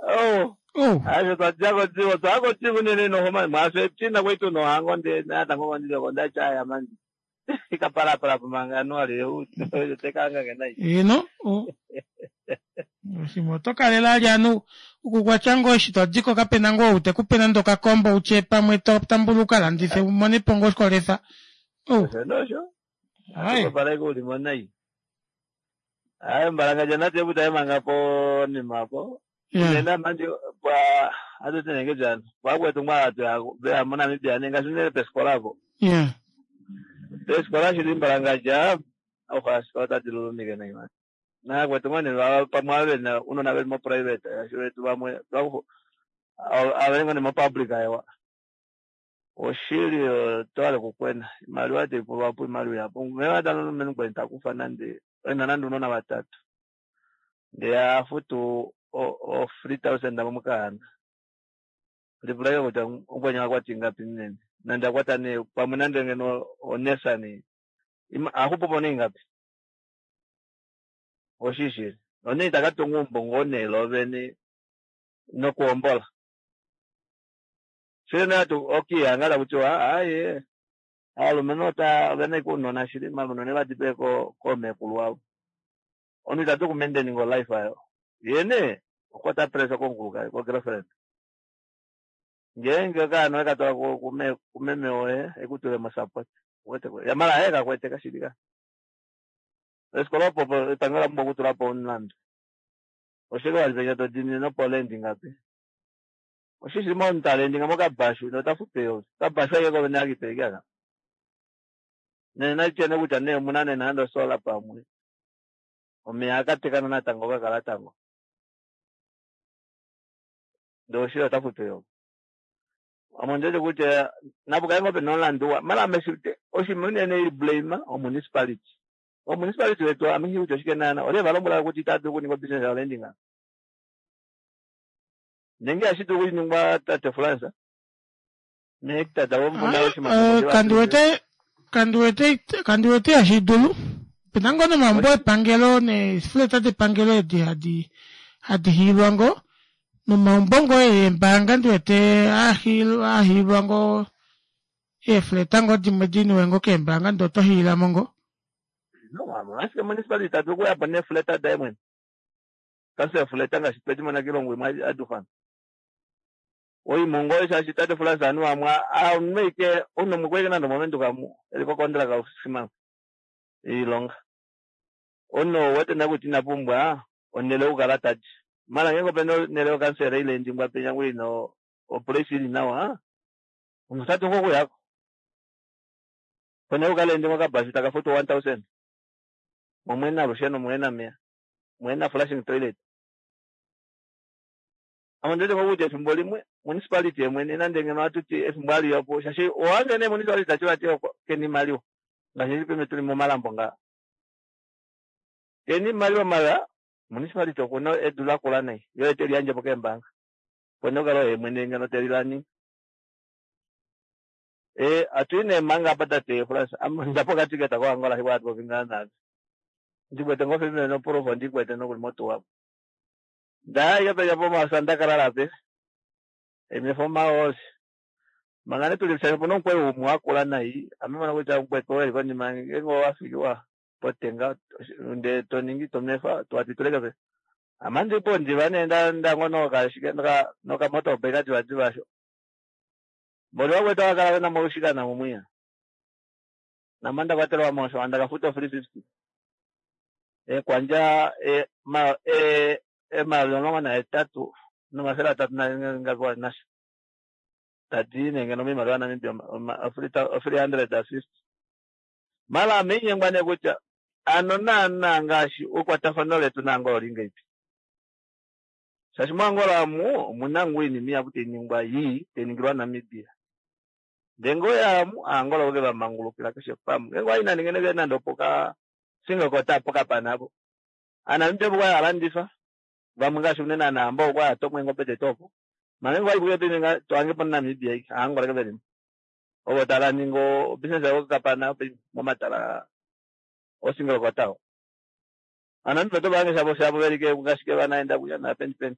Oh. oh Ashe twadja kodziwo twakodziwo nene nohoma mwashe tina kwetu nohango nde natango mandile ndachaya manje. Ikaparapara pamangano ali tekanga kenai. eno shimwe oto kalela ali anu okukwatya ngoo eshi todiko kapena ngoo ou tekupe nande okakombo utye pamwe totambula ukalandife umonepo ngoo oshikolefa oh Nosho. aye Pareko ulimo nai. Aye mbalanga jana tebu taye manga po nimapo. yeah Nena manje pa atuti nenge jana. Pakwetu mwala tuya moNamibia nenga sinene pesikola po. yeah Pesikola shili mbalanga ofa tadi lulumike nai man. Na kwetu mwene pamwe ave na unona veli mo private ashu vetu vamwe twaku avelenga ni mo public ayewa. Oshili otwale kukwena imaliwa teipulwapo imaliwa yapo mevadalomenu kweni takufa nande ena nande unona vatatu ndee afutu o three thousand momukahana ndipulake kutya ukwenya akwati ingapi nene nande akwata ne pamwe nande ngeno onesa ne axupupo neingapi oshishili one itakatunga umbongo onelo vene nokuhombola shili natu okiyanga takutiwa aye alumenhu ota ovena ike ounona shili malunone vadipe koomekulu wavo onu itatu kumaintaining olife ayo yene okwata pressure komukulukadi ko girlfriend ngeenge okaana wekatwala kumeme woye ekutulemo support yamala aye kakwete kashili ka esikola opo epangelo la pumbwa okutulapo omulandu oshike walipenya todini nopolendi ngapi oshishi montalendinga mokabashu notafutu eyovi kabashu aike kovene akipeleke aka nena chene kutya nee omuna nee nande osola pamwe omeya akatekana natango kakala tango ndee oshili otafutu eyovi ame ondiwete kutya napukale ngoo pena omulandu wa mala ame oshinima unene ili blame omunicipality omunicipality wetu ame nghi kutya oshike naana olye valombwela kutya itadulu okuninga obusiness yolanding nenge ihashi dulu okuningwa tate France mehectare davo muna oshimango kandiwete kandiwete kandiwete ihashi dulu opena ngoo nomaumbo epangelo neefleta depangelo edi hadi hadi hiilwa ngoo nomaumbo ngoo eembaanga ndiwete ahiilwa ngoo eefleta ngoo dimwe diniwe ngoo keembaanga ndee oto hiilamo ngoo no ashike municipality tadulu okuyapo neefleta daye mwene kasi efleta ngaashi twedimona kiilongo imwe adufana oimongo shaashi tate France anu amwe ameike omunhu nande omovenduka mu eli kokondraka six iilonga omunhu ouwete nee kutya ina pumbwa onhele yokukala tadi mala ngeenge opena onhele yokansela ile endingwa penya ngoo ina oplace ili nawa omunhu otadulu ngoo okuyako ponhele yokukala endingwa okabashu taka futwa one thousand mo olusheno muhena omeya muhena flushing toilet ame ondiwete ngoo kutya efimbo limwe municipality yemwene nande ngeno hatuti efimbo aliyapo shaashi owange nee municipality tashi vati kena imaliwa ngaashi eshi peme tuli momalambo ngaa kena imaliwa mala municipality okuna edu lakula nai yo ete liyandjepo keembaanga ponhele yokukala oye mwene ngeno telilani e atui nee manga apa tate France ame pokatiketa koAngola shikwa hatu popi ngaa naave ndikwete ngoo fimene noproof ndikwete nokuli motuwapo ndaya peja pomasa ndakalala pe emefo maosi manga ne tuli shasha opuna omukweyo umwe wakula nai ame mona kutya mukwetu oo eli konima ngeenge owafikiwa potenga ndee toningi tomefa twati tuleke pe ame andipo ndiva nee ndango nokashike nokamotorbike divadiva asho mboli vakwetu vakala vena molushikana mumwiya namanda kwatelwa mosho andakafuta three fifty ekwandja emayovi omulongo nahetatu nomafele atatu ngapiwa nasho tadi nee ngeno moimaliwa yaNamibia three hundred and fifty mala ame inyengwa nee kutya ano naana ngaashi ekwatafano letu naAngola oli ngahelipi shaashi moAngola omu omuna ngoo oinima ihapu tainingwa yii tainingilwa Namibia ndee ngoo yaamu Aangola oke vamangulukila keshe pamwe ngeenge owayi nande ngeno nande opoka single kota pokapana apo Aanamibia opo kwali halandifa vamwe ngaashi unene anahambo okwali hatomwa eengobe detu opo manga ngeenge owayi kuye paife tohange po Namibia ike Aangola ke velimo ovo tava ningi obusiness yavo kokapana momatala osingle kota oo Aanamibia oto vahange shavo shavo velike ngaashi vanaenda kuya napeni peni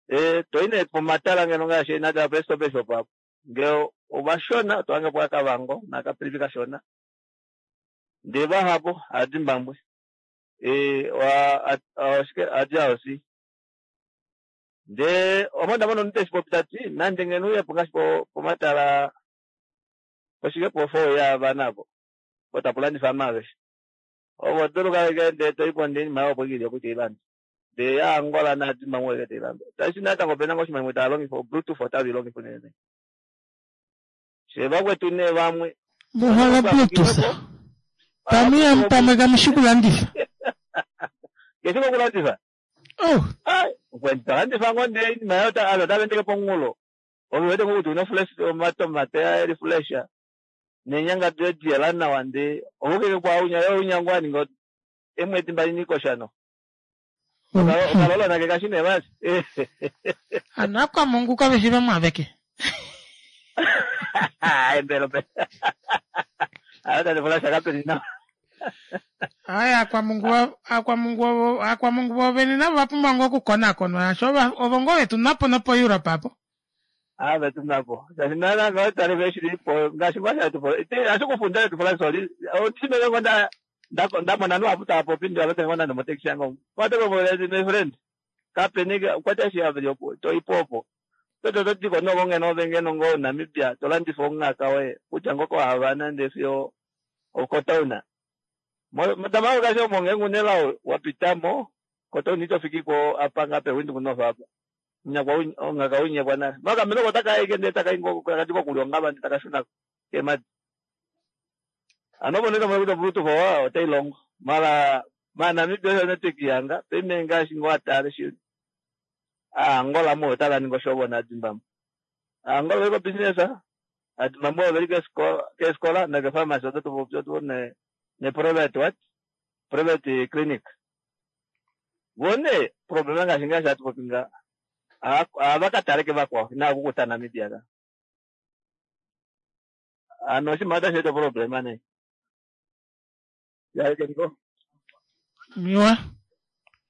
e toyi nee pomatala ngeno ngaashi nande pe stop shop apo ngee ovashona otohange po kaKavango nakaPrivi kashona ndee vahapu aaZimbabwe e oshike aaDRC ndee ome ndamona omunhu teshipopi tati nande ngeno uyepo ngaashi pomatala poshike po four yaavana apo po tapu landifa amaaveshe ovo dulu kale ndee toyipo ndee oinima opo ili opo iteilanda ndee yaAngola naaZimbabwe eke teilanda tashi natango opena ngoo oshinima shimwe tava longifa obluetooth otave ilongifa unene shee vakwetu nee vamwe muhole bluetooth pamwe pamwe kamushi kulandifa keshi kokulandifa oh talandifa ngoo ndee oinima yayo ovanhu otava endeke pomunghulo Ove wete ngo kuti una fresh omatomate eri fresh. Nenyanga doye diyela nawa nde ovukeke kwa unya yo unya ngwa ningo emwedi mbali nikoshano. Okalola nake kashine basi. Ano akwamungu kaveshi vamwaveke. Ai mbelo pe. Ata ndifula shakapeni na. Ai akwamungu akwamungu akwamungu vovene navo vapumbwa ngoo okukonakonwa asho ovo ngoo vetu napo nopo Europe apo. Ah vetu napo. Shaashi nana ngoo tali veshilipo ngaashi ngwasha tupo. Ite ashikufunda tufula soli. Otimele ngonda ndamona nuapu taapopi ndi avete ngonda nomotekisi yango. Wateko my friend. Kapeni kwata shi aveli to ipopo. Toto totiko noko ngeno vengeno ngo Namibia tolandifa ongaka we kutya ngoko havana nde fiyo okotauna. Motama kasho monge ngunela wapitamo kotauna itofiki ko apanga pe windu kunofa apa. Nyakwa ongaka unyekwa na. Maka meloko taka ike nde taka ingo kakatiko kulionga bandi takashuna kemadi. Ano boneka mo kuta bruto kwa otailongo. Mara ma Namibia yo network yanga peme ngashi ngo atale shi. Ah Angola mo tala ningo shobo na Zimbabwe. Angola iko business ah. Ati mambo veli ke skola ke skola na ke pharmacy oto to ne ne private what? Private clinic. Vone problema ngashi ngashi atu popinga. Avakatale ke vakwa na kukuta Namibia ka. Ano shi mata sheto problema ne. Ya ke niko. Miwa.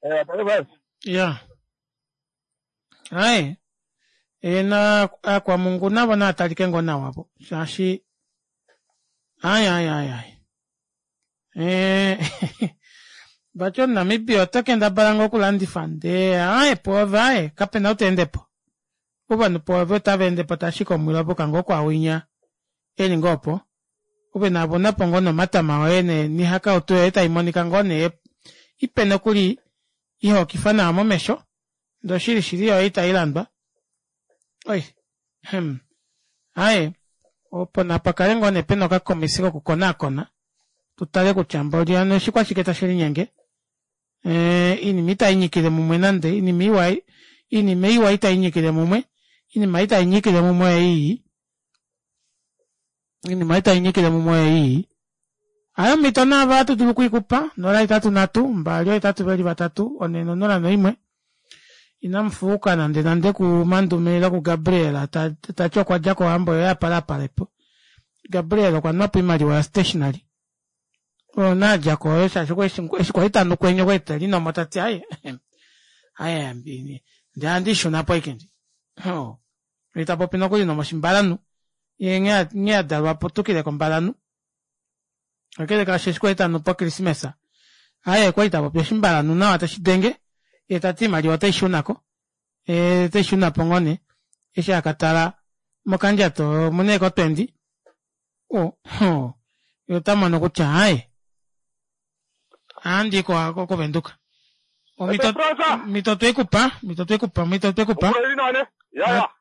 Eh pale basi. Ya. Ai. Ena akwamungu navo naatalike ngoo nawa po. Shaashi ai ai ai ai. Eh vati omuNamibia ota kendabala ngoo okulandifa ndee ae poove ae kapena ou taendepo. Ovanhu poove otava endepo tashika omwilo poka ngoo kwawinya eli ngoo opo. Ove navo napo ngoo nomatama oye nihakautu yoye taimonika ngoo nee ipe nokuli ihokifa nawa momesho ndee oshili shili yoye itailandwa. Oi hmm. Ae opo napakale ngoo nee pena okakomisi kokukonaakona tutale kutya mboli hano oshikwashike tashi linyenge. Eh inima itainyikile mumwe nande inima iwa inima iwa itainyikile mumwe inima itainyikile mumwe ei inima itainyikile mumwe ei. Ayo mito nava atu dulu kuikupa nola itatu natu mbali oitatu veli vatatu one nonola noimwe. Inamufuuka nande nande ku Mandume ile ku Gabriel tati okwa dja kohambo yoye apalapalepo. Gabriel okwa nwapo oimaliwa ya stationary. Oyo naadjako oyo shaashi eshi kwali tanu kwenye okwali telinomo tati aye aye ndee handishuna po ike ndi. Ye tapopi nokuli nomoshimbalanu. Ye nghee adalwa aputukile kombalanu. Kakele kaasho eshi kwali tanu pokrismesa. Aye okwali tapopi oshimbalanu nawa tashi denge. Ye tati oimaliwa otaishunako. E otaishunapo ngoo nee. Eshi akatala mokandjato omuna eeko twenty. O ye otamono kutya aye ohandi koVenduka. Omito twekupa, mito twekupa, mito twekupa.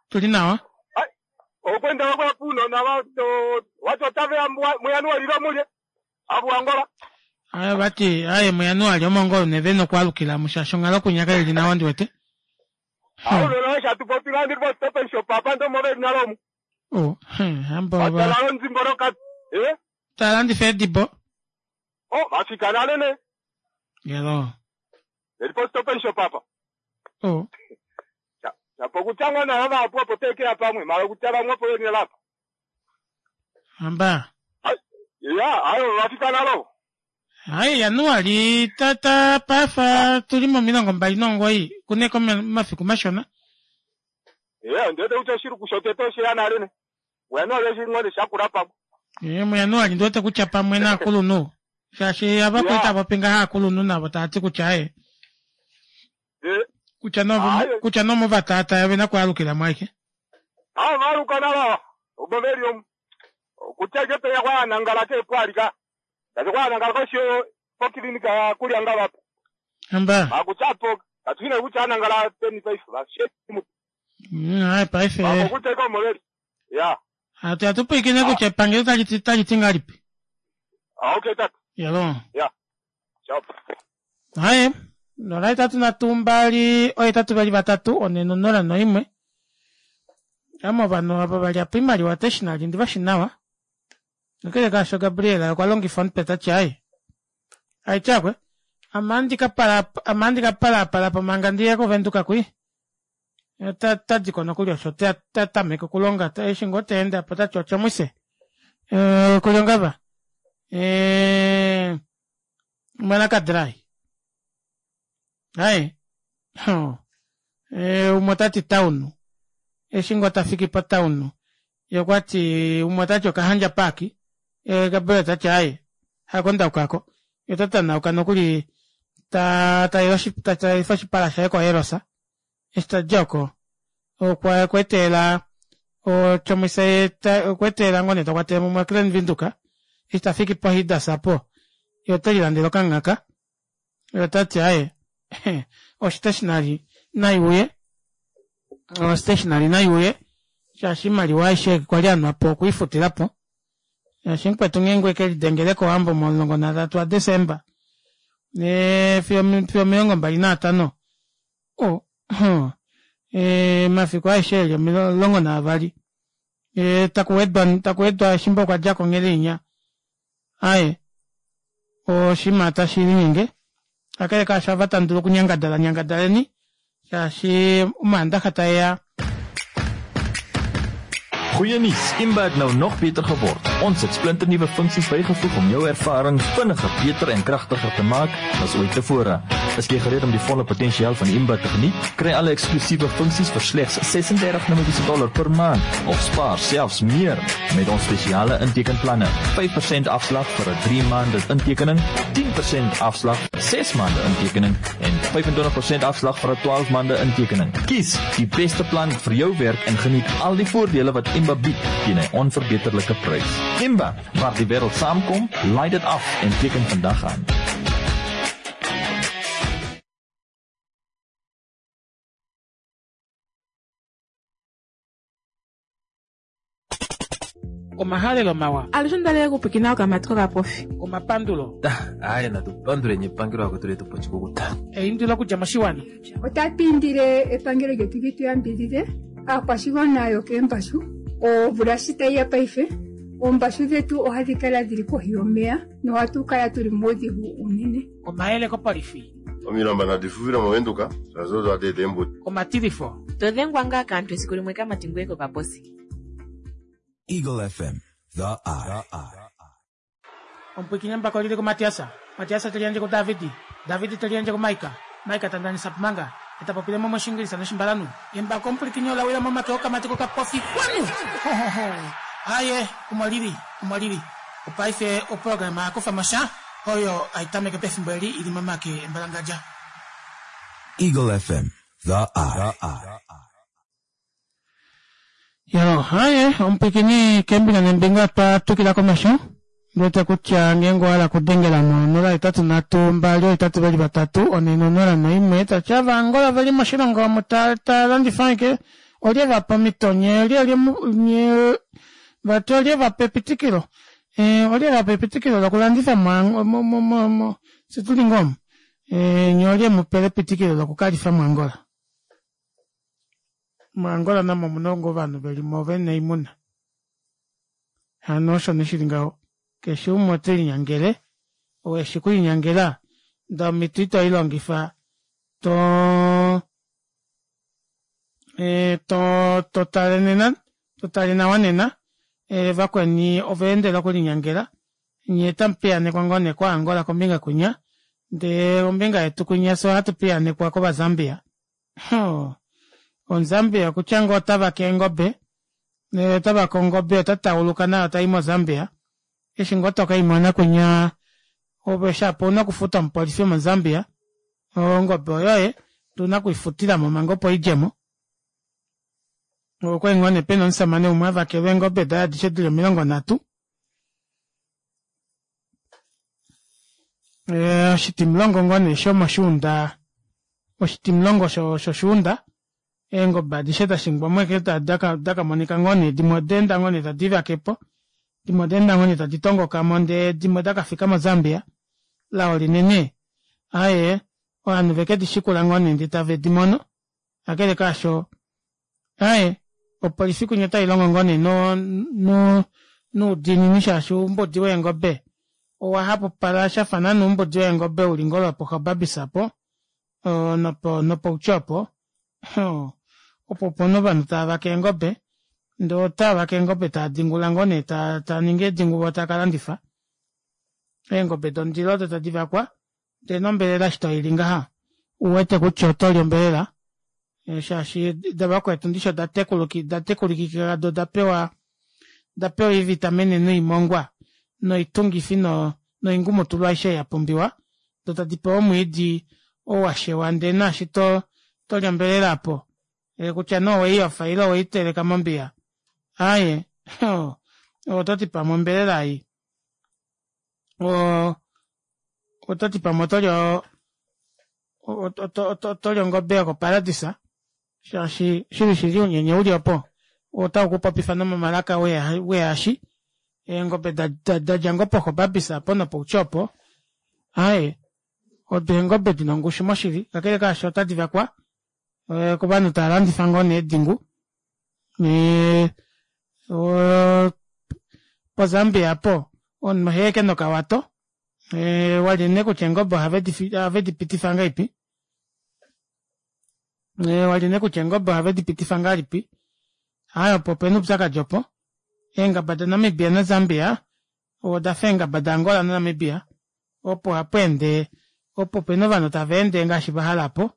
Tuli nawa. Okwenda kwa puno na watu watu otave muyanuari lomulye abu Angola. Aye vati aye muyanuari omongo neve nokwalukila mushasho onghalo kunyaka ili nawa ndiwete. Awo lolo shatu popila ndi po stop and shop apa ndo move nalomu. Oh, hambo ba. Atala nzimboro ka eh talandifa edibo. Oh, vafika nale ne. Yelo. Eli po stop and shop apa. Oh. Chapo kutangwa na hava apo apo tekea pamwe mara kutala mwapo yeni lapa. Amba. Ya, ayo vafika nalo. Ai Januari tata pafa tuli momilongo mbali nomugoyi kuneko mafiku mashona. Eh, ndete ucho shiru kushoteto shiyana nale ne. Januari shingone shakura papo. Eh, muJanuari ndiwete kutya pamwe naakulunhu. Shaashi ava popi ngaha aakulunhu navo taati kutya e. Eh. Kutya no kutya no movatata vena kwalukila mwaike. Ah, valuka nala. Oboveri om. Kutya ke peya kwa nangala ke kwalika. Kazi kwa nangala ko sho po klinika kulya ngala. Amba. Akutsapo katwina kutya nangala teni paife va she. Mm, ai paife. Akutya ko moveri. Ya. Atu atupikine kutya epangelo tali tali tingalipi. Ah, okay tata. Yalo. Ya. Ciao. Haye. Nola itatu nhatu mbali ohetatu vali vatatu one nonola noimwe. Ame ovanhu ava valyapo oimaliwa stationary ndivashi nawa. Kakele kaasho Gabriel okwa longifa omutwe tati aaye aityakwe ame ohandi ka pala ame ohandi ka palaapalapo manga ndiye kovenduka kwi tadiko nokuli osho tatameke okulonga eshi ngoo teende apo otati otjomwise okulyongava mwanakadrai aaye umwe otati town eshi ngoo tafiki po town yee okwati umwe otati okahandja park Gabriel tati aaye hako ndaukako yee ota tanauka nokuli tatalifa oshipala shaye ko eros eshi tadi oko okweetelela otjomuise okweetelela ngoo nee takwatele mumwe Klein Windhoek eshi tafiki po Hidas aapo yee otelilandele okanghaka yee otati aaye o stationary naiuye o stationary naiuye shaashi oimaliwa aishe kwali anwapo okweifutilapo shaashi mukwetu ngeenge okelidengele kowambo momulongo nanhatu a December fiyo omilongo mbali naatano oh omafiku aeshe eli omulongo naavali takuwedwa takuwedwa efimbo okwadja konele inya aaye oshinima tashilinyenge kakele kaasho ava tamudulu okunyangadala nyangadaleni shaashi omaandaxa taeya. Goeie nuus, Imba het nou nog beter geword. Ons het splinternuwe funksies bygevoeg om jou ervaring vinniger, beter en kragtiger te maak as ooit tevore. Is jy gereed om die volle potensiaal van Imba te geniet? Kry alle eksklusiewe funksies vir slegs ses-en-dertig Namibiese dollar per maand of spaar selfs meer met ons spesiale intekenplanne. vyf persent afslag vir 'n drie maande intekening, tien persent afslag vir ses maande intekening en vyf-en-twintig persent afslag vir 'n twaalf maande intekening. Kies die beste plan vir jou werk en geniet al die voordele wat Imba bied teen 'n onverbeterlike prys. Imba, waar die wêreld saamkom, laai dit af en teken vandag aan. Omahalelo mawa. Alushe ondalele okupwiikina okamati kokapofi. Omapandulo. Aye, natu panduleni epangelo akwetu letu pochikukuta. Eindilo okudja moshiwana. Otatu indile epangelo lyetu li tu yambidhidhe aakwashigwana yokeembashu. Omvula shi tayi ya paife, oombashu dhetu ohadhi kala dhili kohi yomeya nohatu kala tuli muudhigu unene. Omayele kopolifi. Omilamba nadi fufile movenduka, shaashi odo hadi eta eembuto. Omatilifo. To dhengwa ngaa kaantu esiku limwe kamati ngoye kokaposi. Eagle F M, the eye. Omupwiikini mbako lili kuMatiasa. Matiasa te liyandje kuDavidi. Davidi te liyandje kuMaika. Maika ta ndanisa pumanga. Eta popile mo moshingilisa noshimbalanu. Embako omupwiikini ola wila momake okamati kokapofi. Kwanu! Ho, ho, ho. Aye, omo lili, omo lili. Opaife oprograma yakufa mosha oyo aitameke pefimbo eli ili momake embalangadja. Eagle F M, the eye. Yo, haye, omupwiikini kembinga nembinga twa tukila komesho. Ndete kutya ngeenge owa hala okudengela mo onola hetatu nhatu mbali ohetatu veli vatatu one nonola noimwe tatya ava Angola veli moshilongo omu ta ta landifa ashike olye vapa omhito nye olye olye nye vati olye vapa epitikilo eh olye vapa epitikilo lokulandifa mo mo mo mo situli ngoo omu eh nye olye mupele epitikilo lokukalifa muAngola. MuAngola namo omuna ngoo ovanhu velimo vena oimuna. Hano osho neshili ngaho. Keshe umwe ote linyangele, ou eshi kulinyangela, ndee omhito ito ilongifa to e, to to tale nena, to tale nawa nena, e, vakweni ova endela okulinyangela, nye tamu piyanekwa ngoo nee koAngola kombinga kwinya, ndee ombinga yetu kwinya fye ohatu piyanekwa kOvazambia. OmuZambia okutya ngoo ota vake eengobe, ota vake ongobe ota tauluka nayo tai moZambia, eshi ngoo tokaimona kwinya ove shapo ouna okufuta omupolifi womoZambia, ongobe oyoye tuna okuifutilamo manga opo idjemo. Okwali ngoo nee pena omusamane umwe avakelwa eengobe daye adishe dili omilongo nhatu. Oshitimulongo ngoo nee shomoshuunda, oshitimulongo shoshuunda, eengobe adishe dashingwa mo ashike dakamonika ngoo nee dimwe odaenda ngoo nee tadi livakepo, dimwe odaenda ngoo nee tadi tongokamo ndee dimwe dakafika moZambia. Lao linene aaye ovanhu veke dishikula ngoo nee ndee tave dimono, kakele kaasho aaye Opolifi kwinya otailongo ngoo nee no- no noudiinini shaashi oumbudi weengobe owahapupala shafa naana oumbudi weengobe uli ngoo lwopo gobabis aapo oo nopoutjo opo oo opo pena ovanhu taavake eengobe ndee otaavake eengobe taadingula ngoo nee taaningi eedingu voo taakalandifa eengobe dondilo odo tadivakwa ndee nombelela eshi toili ngaha ouwete kutya otoli ombelela shaashi davakwetu ndishi oda tekulikika doo odapewa oivitamine noimongwa noitungifi noingumutulu aishe ei yapumbiwa doo tadipewa omwiidi oo washewa ndee naashi toli ombelela aapo kutya nee oweiyofa ile oweiteleka mombiya aaye ototi pamwe ombelela ei oo ototi pamwe otoli otoli ongobe yoko paradisa shaashi shili shili ounyenye uli opo otaukupopifa nomomalaka wehashi eengobe dadja ngoo po gobabis aapo nopoutjo opo aaye odo eengobe dina ongushu moshili kakele kaasho ota divakwa kovanhu tavalandifa ngoo nee eedingu yee oo po zambia aapo omunhu ohaya ashike nokawato walye nee kutya eengobe ohave dipitifa ngahelipi walye nee kutya eengobe ohave dipitifa ngahelipi aaye opo opena oupyakadi opo eengaba da namibia na zambia odafa eengaba da angola na namibia opo hapweende opo pena ovanhu tavaende ngaashi vahala aapo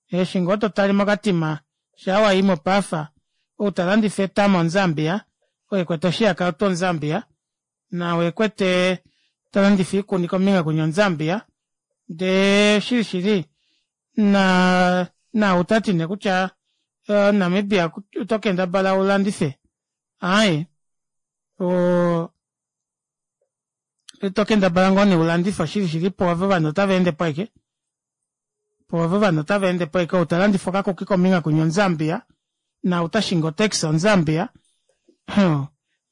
eshi ngoo totale mo katima shaa wayi mopaafa ou talandifa etama omu zambia ou ekwete oshihakautu omu zambia naau ekwete talandifa oikuni kombinga kwinya omu zambia ndee shili shili naa naau tati nee kutya omunamibia oto kendabala ulandife aaye oo tokendabala ngoo nee ulandife shili shili poove ovanhu ota veendepo ashike poove ovanhu ota veendepo ashike ou talandifa okakuki kombinga kwinya omu zambia naau tashingi o taxi omu zambia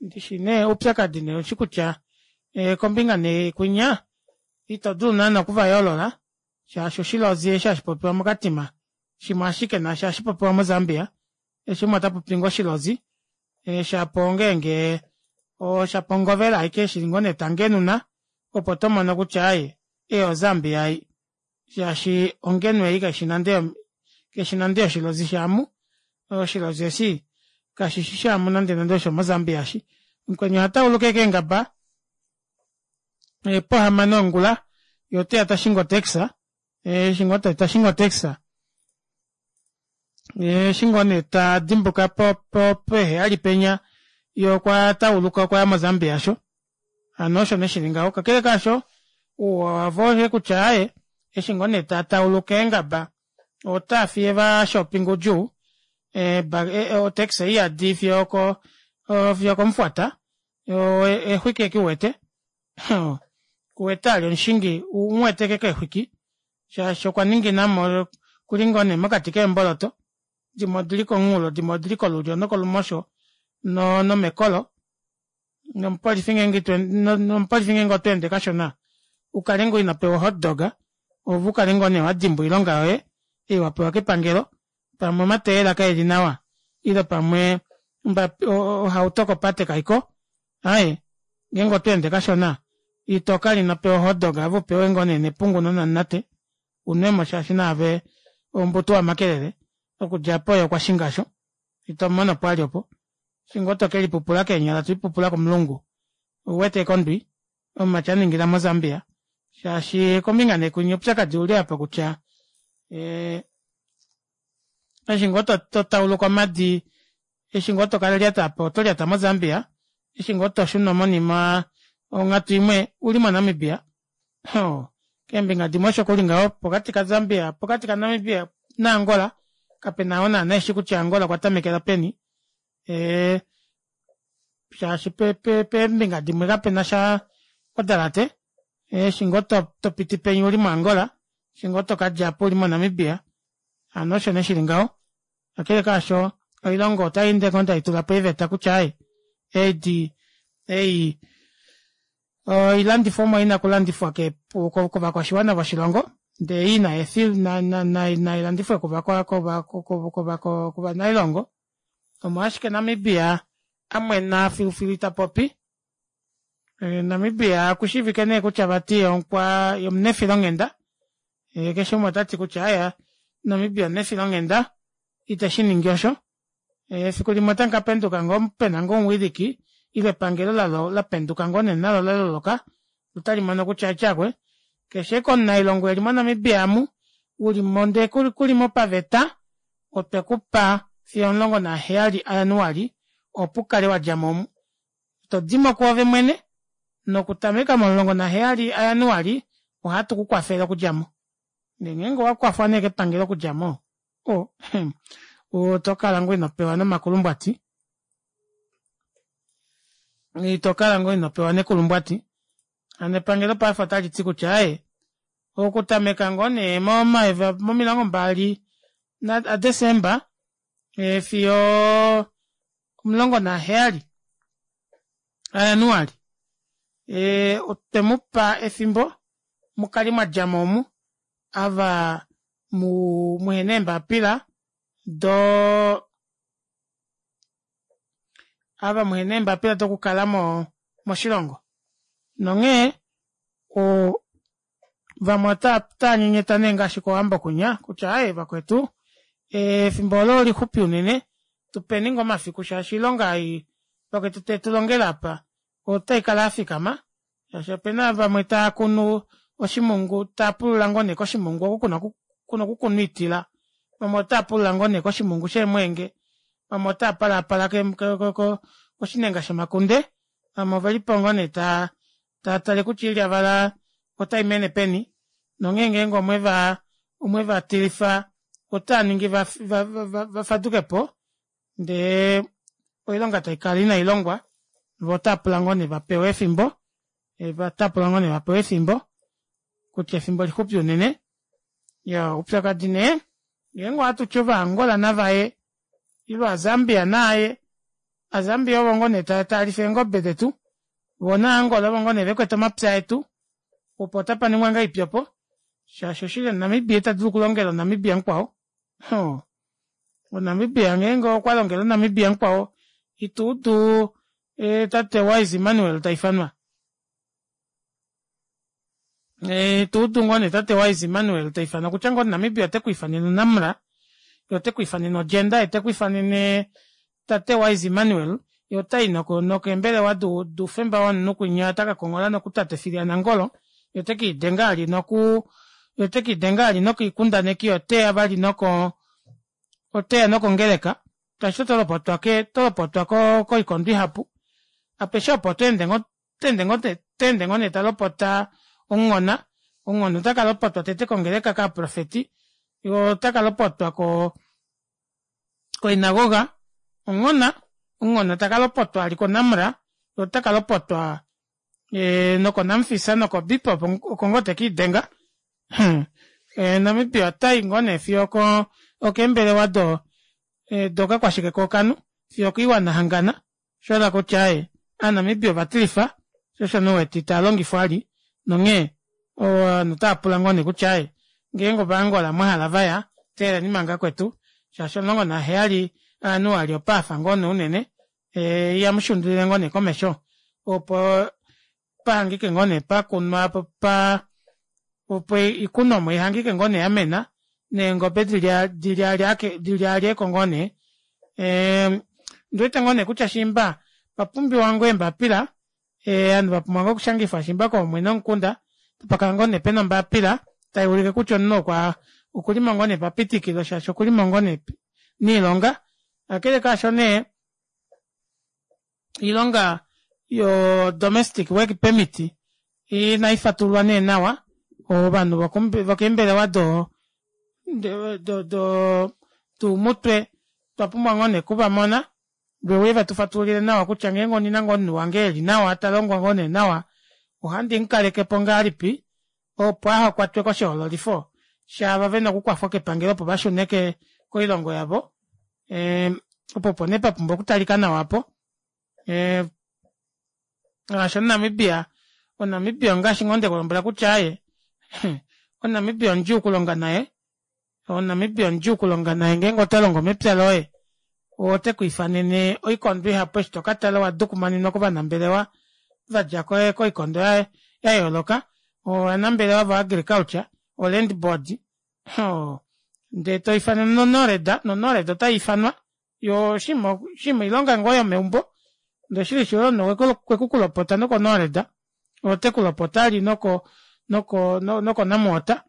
ndishi nee oupyakadi nee oushi kutya kombinga nee kwinya itodulu naana okuvayoolola shaashi oshilozi eshi hashipopiwa mo katima shimwe ashike naashi ohashipopiwa mo zambia keshe umwe otapopi ngoo oshilozi shapo ongenge shapo ongovela aike eshi ngoo nee tangenuna opo tomono kutya aaye ei o zambia ei shaashi ongenu ei kaifi nande kaifi nande yoshilozi shaamu oshilozi eshi kashishi shaamu nande nande oshomo zambia eshi mukweni ohatauluka ashike eengaba pohamano yongula yee oteya tashingi o taxi eshi ngoo tashingi o taxi eshi ngoo nee tadimbuka poheyali penya yee okwa tauluka okwaya mo zambia aasho hano osho nee shili ngaho kakele kaasho ouwa wavo oyeye kutya aaye eshi ngoo nee tatauluka eengaba otaafiye vashoppinga oudjuu o taxi oiyadi fiyo oko fiyo okomufuata eexwiki ashike uwete kuwete vali omushingi umuwete ashike keexwiki shaashi okwaninginamo okuli ngoo nee mokati keemboloto dimwe odili komunghulo dimwe odili kolulyo nokolumosho nomekolo nomupolifi ngeenge nomupolifi otweende kashona ukale ngoo inopewa o hotdog ove ukale ngoo nee wadimbwa oilonga yoye ei wapewa kepangelo pamwe omatayela kaeli nawa ile pamwe ohauto kopate kaiko aaye ngeenge otweende kashona itokala inopewa o hotdog ove upewe ngoo nee nepungu nonamunate unwemo shaashi naave oumbutu wamakelele okudja aapo yee okwashinga aasho itomumonopo vali opo eshi ngoo tokelipupula keenyala tolipupula komulungu ouwete ashike ondwi omumati aningila mo zambia shaashi kombinga neekwinya oupyakadi ouli aapa kutya ee eshi ngoo totauluka omadi eshi ngoo tokalyata aapa otolyata mo zambia eshi ngoo toshuna monima onghatu imwe ouli mo namibia oo keembinga dimwe osho kuli ngaho pokati ka zambia pokati ka namibia na angola kapena oo naana eshi kutya angola okwa tamekela peni ee shaashi peembinga dimwe kapenasha odalate eshi ngoo topiti penya ouli mo angola eshi ngoo tokadjapo ouli mo namibia hano osho nee shili ngaho kakele kaasho oilongo otayeende ngoo taitulapo eeveta kutya aaye edi ei oilandifomwa ina okulandifwa kovakwashiwana voshilongo ndee ei nailandifwe kovanailongo Omo ashike Namibia amwena filufilu itapopi. Namibia okushiivike nee kutya vati okwa omunefilonghenda keshe umwe otati kutya aaye Namibia omunefilonghenda iteshiningi osho. Efiku limwe otamukapenduka ngoo pena ngoo omuwiliki ile epangelo lapenduka ngoo nee nalo laloloka otalimono kutya tyakwe keshe ashike omunailongo eli mo namibia aamu ulimo ndee kulimo paveta otwekupa fiyo omulongo naheyali a januali opo ukale wadjamo omu todimo kwoove mwene nokutameka momulongo naheyali a januali ohatu kukwafele okudjamo ndee ngeenge owakwafwa nee kepangelo okudjamo oh otokala ngoo inopewa nomakulumbwati itokala ngoo inopewa nekulumbwati hano epangelo paife otaliti kutya aaye okutameka ngoo nee momilongo mbali a december fiyo omulongo naheyali a januali otwemupa efimbo mukale mwadjamo omu ava muhena eembapila doo ava muhena eembapila dokukala moshilongo nonghee oo vamwe otaanyenyeta nee ngaashi kowambo kwinya kutya aaye vakwetu efimbo olo olixupi unene tupeni ngoo omafiku shaashi oilonga ei vakwetu tetulongele aapa otaikala yafikama shaashi opena vamwe taakunu oshimungu taapulula ngoo nee koshimungu oko kuna okukunwa oitila vamwe otaapulula ngoo nee koshimungu sheemweenge vamwe otaapalapala koshinenga shomakunde vamwe ovelipo ngoo nee taatale kutya oilyavala otaimene peni nonghee ngeenge omweva omwevatilifa otaaningi vafadukepo ndee oilonga taikala inailongwa voo otaapula ngoo nee vapewe efimbo otaapula ngoo nee vapewe efimbo kutya efimbo lixupi unene iyaa oupyakadi nee ngeenge ohatuti ovaangola navaye ile ova zambia naaye ova zambia ovo ngoo nee talifa eengobe detu voo naangola ovo ngoo nee vekwete omapya etu opo otapaningwa ngahelipi opo shaashi oshili omunamibia itadulu okulongela omunamibia mukwao oo omunamibia ngeenge okwalongele omunamibia mukwao ituudu tate wise Immanuel taifanwa ituudu ngoo nee tate wise Immanuel taifanwa kutya ngoo omunamibia otekwiifanene namra ye otekwiifanene ogender ye otekwiifanene tate wise Immanuel ye otayi nokeembelewa doufemba womunhu kwinya otakakonghola nokutate Phil ya Nangolo ye otekiidenga vali noku ye otekiidenga vali nokoikundaneki oteya vali noko oteya nokongeleka shaashi otolopotwa otolopotwa koikondo ihapu apeshe opo otweende ngoo tweende ngoo nee talopota omunghona omunghona otakalopotwa tete kongeleka kaaprofeti yee otakalopotwa ko koinagoga onghona omunghona takalopotwa vali ko namra yee otakalopotwa noko namfisa noko bipop oko ngoo tekiidenga namibia otayi ngoo nee fiyo okeembelewa dokakwashike kookanhu fiyo okoiwana yahangana oshahala kutya aaye ovanamibia ovatilifa shoo osho nee uwete itaalongifwa vali nonghee ovanhu otaapula ngoo nee kutya aaye ngeenge ovaangola mwahala vaya teeleleni manga kwetu shaashi omulongo naheyali a januali opaafa ngoo nee unene ihamushundulile ngoo nee komesho opo pahangike ngoo nee pakunwa pa opo oikunomwa ihangike ngoo nee yamena neengobe dilyaalyeko ngoo nee ondiwete ngoo nee kutya shiimba opapumbiwa ngoo eembapila ovanhu vapumbwa ngoo okushangifwa shiimba koomwene vomukunda tapakala ngoo nee pena ombapila taiulike kutya omunhu okwa okulimo ngoo nee papitikilo shaashi okulimo ngoo nee noilonga kakele kaasho nee oilonga yo domestic work permit inaifatululwa nee nawa ovanhu vokeembelewa do do doumutwe otwapumbwa ngoo nee okuvamona veuye vetufatululile nawa kutya ngeenge ondina ngoo omunhu wange eli nawa talongo ngoo nee nawa ohandi mukalekepo ngahelipi opo ahakwatwe koshihoololifo shaava vena okukwafwa kepangelo opo vashune koilongo yavo opo opo nee papumbwa okutalika nawa aapo shaashi omunamibia omunamibia ongaashi ngoo ndekulombwela kutya aaye omunamibia omudjuu okulonga naye omunamibia omudjuu okulonga naye ngeenge otolongo mepya loye Ote kwiifanene oikondo ihapu eshi tokatala owadukumanenwa kovanambelewa vadja koikondo yayooloka ovanambelewa vo agriculture o land board oo ndee toifanwa no nored no nored otaifanwa yoo oshiima oshiima oilonga ngoo yomeumbo ndee oshili shili omunhu okwekukulopota noko nored otekulopota vali noko noko noko namwater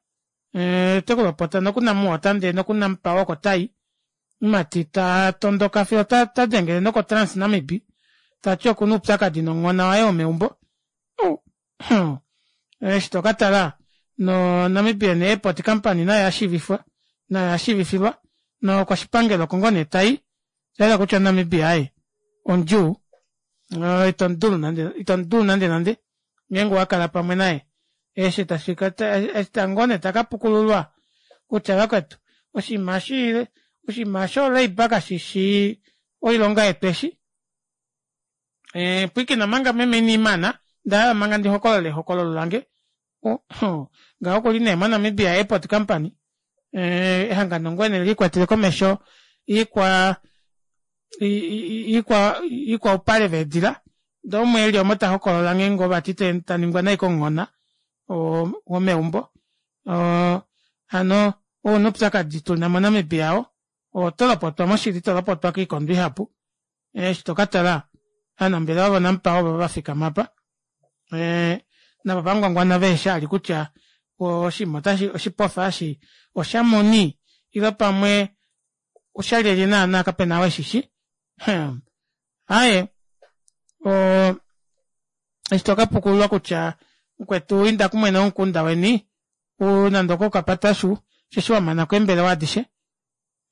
ee otekulopota noku namwater ndee noku nampower oko tayi omumati tatondoka fiyo otadengele noko trans namib tati okuna oupyakadi nomuhona waye womeumbo ou hmm eshi tokatala no namibian airport company nayo oyashiivifwa nayo oyashiivifilwa nokoshipangelo oko ngoo nee tayi oshayela kutya namibia aaye omudjuu itomudulu nande itomudulu nande nande ngeenge owakala pamwe naye eshi ngoo nee takapukululwa kutya vakwetu oshinima eshi oshinima sho labour kashishi oilonga yetu eshi pwiikina manga meme inandimana ondahala manga ndihokolole ehokololo lange ngaho okuli nee mo namibia airport company ehangano ngoo nee likwetele komesho iikwa iikwaupale veedila ndee umwe eli omo tahokolola nghee ngoo vati taningwa nai komuhona womeumbo hano ou nee oupyakadi tuna mo namibia oo otolopotwa moshili tolopotwa koikondo ihapu eshi tokatala ovanambelewa vo nampower ovovo vafikama aapa navo vangwangwana veheshi kutya oshinima oshipofa eshi oshamuni ile pamwe oshalyelye naana kapena ou eshishi hmm aaye oo eshi tokapukululwa kutya mukwetu inda kumwene womukunda weni nande okokapatashu osheshi wamanako eembelewa adishe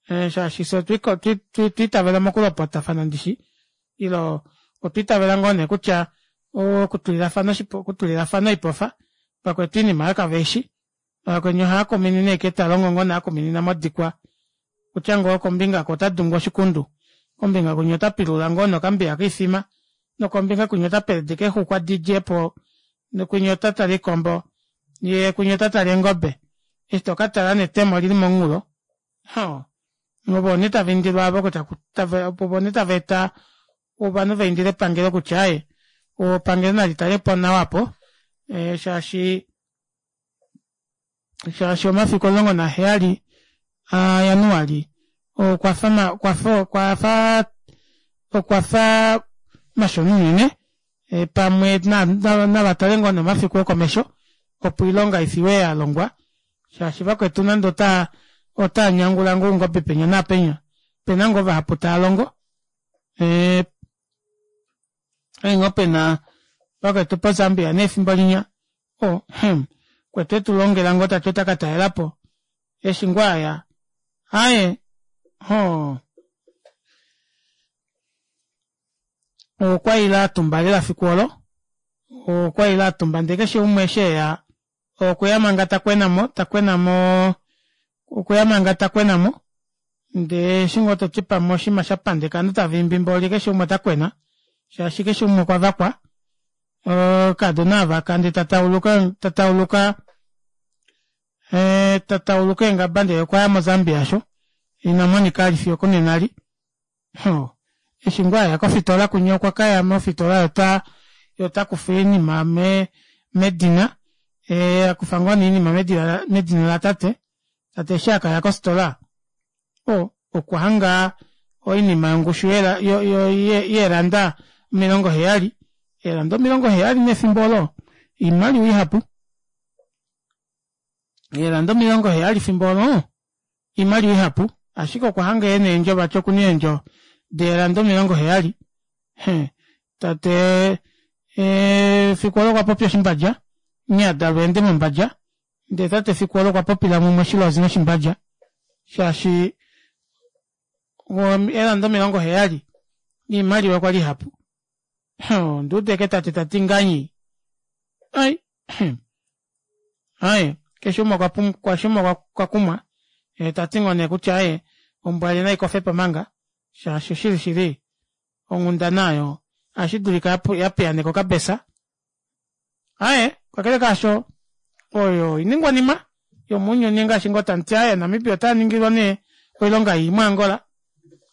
shaashi fyee otwa itavela mokulopotafana ndishi ile otwa itavela ngoo nee kutya okutulilafana oipofa vakwetu oinima aayo kaveishi vakweni ohaakuminine ashike talongo ngoo nee akuminina modikwa okutya ngoo kombinga oku otadungu oshikundu kombinga kwinya otapilula ngoo nee okambiya koifima nokombinga kwinya otapelede eexuxwa didjepo kwinya otatale oikombo yee kwinya otatale eengobe eshi tokatala netemo olili momunghulo oo ovo nee tavaindilwa aavo ovo nee tavaeta ovanhu vaindile epangelo kutya aaye epangelo nalitalepo nawa aapo shaashi shaashi omafiku omulongo naheyali a januali okwafa okwafa okwafa mashona unene pamwe navatale ngoo nee omafiku okomesho opo oilonga ifiwe yalongwa shaashi vakwetu nande ota otanyangula ngoo oungobe penya naapenya opena ngoo vahapu taalongo okwali ngoo pena vakwetu po zambia nee efimbo linya oo hmm mukwetu etulongela ngoo tati ota katalelapo eshi ngoo aya aaye oo okwaile atumba lela efiku oolo okwaile atumba ndee keshe umwe eshi eya okweya manga takwenamo takwenamo okweya manga takwenamo ndee eshi ngoo toti pamwe oshinima shapandeka ovanhu tavaimbi mboli keshe umwe otakwena shaashi keshe umwe okwavakwa oukadona aavaka ndee tatauluka tatauluka tatauluka eengaba ndee okwaya mo zambia aasho inamonika vali fiyo okunena eli eshi ngoo aya kofitola kwinya okwakaya mofitola yee otakufa oinima medina akufa ngoo nee oinima medina latate tate eshi akaya kofitola oo okwahanga oinima yongushu yeeranda omilongo heyali eeranda omilongo heyali nee efimbo oolo oimaliwa ihapu eeranda omilongo heyali efimbo oolo oimaliwa ihapu ashike okwahanga ena eendjo vati okuna eendjo deeranda omilongo heyali tate efiku oolo okwapopya oshimbadja nghee adalwa eende mombadja ndee tate efiku oolo okwapopila mumwe oshilozi noshimbadja shaashi eelanda omilongo heyali oimaliwa kwali ihapu onduuda ashike tate tati nganyi ai aaye keshe umwe okwakumwa tati ngoo nee kutya aaye ombwa naikofepo manga shaashi oshili shili onghundana aayo ohashidulika yapiyaaneka okabesa aaye kakele kaasho oyo oiningwanima yomounyuni ngaashi ngoo tamuti aaye namibia otaningilwa nee oilonga ii mo angola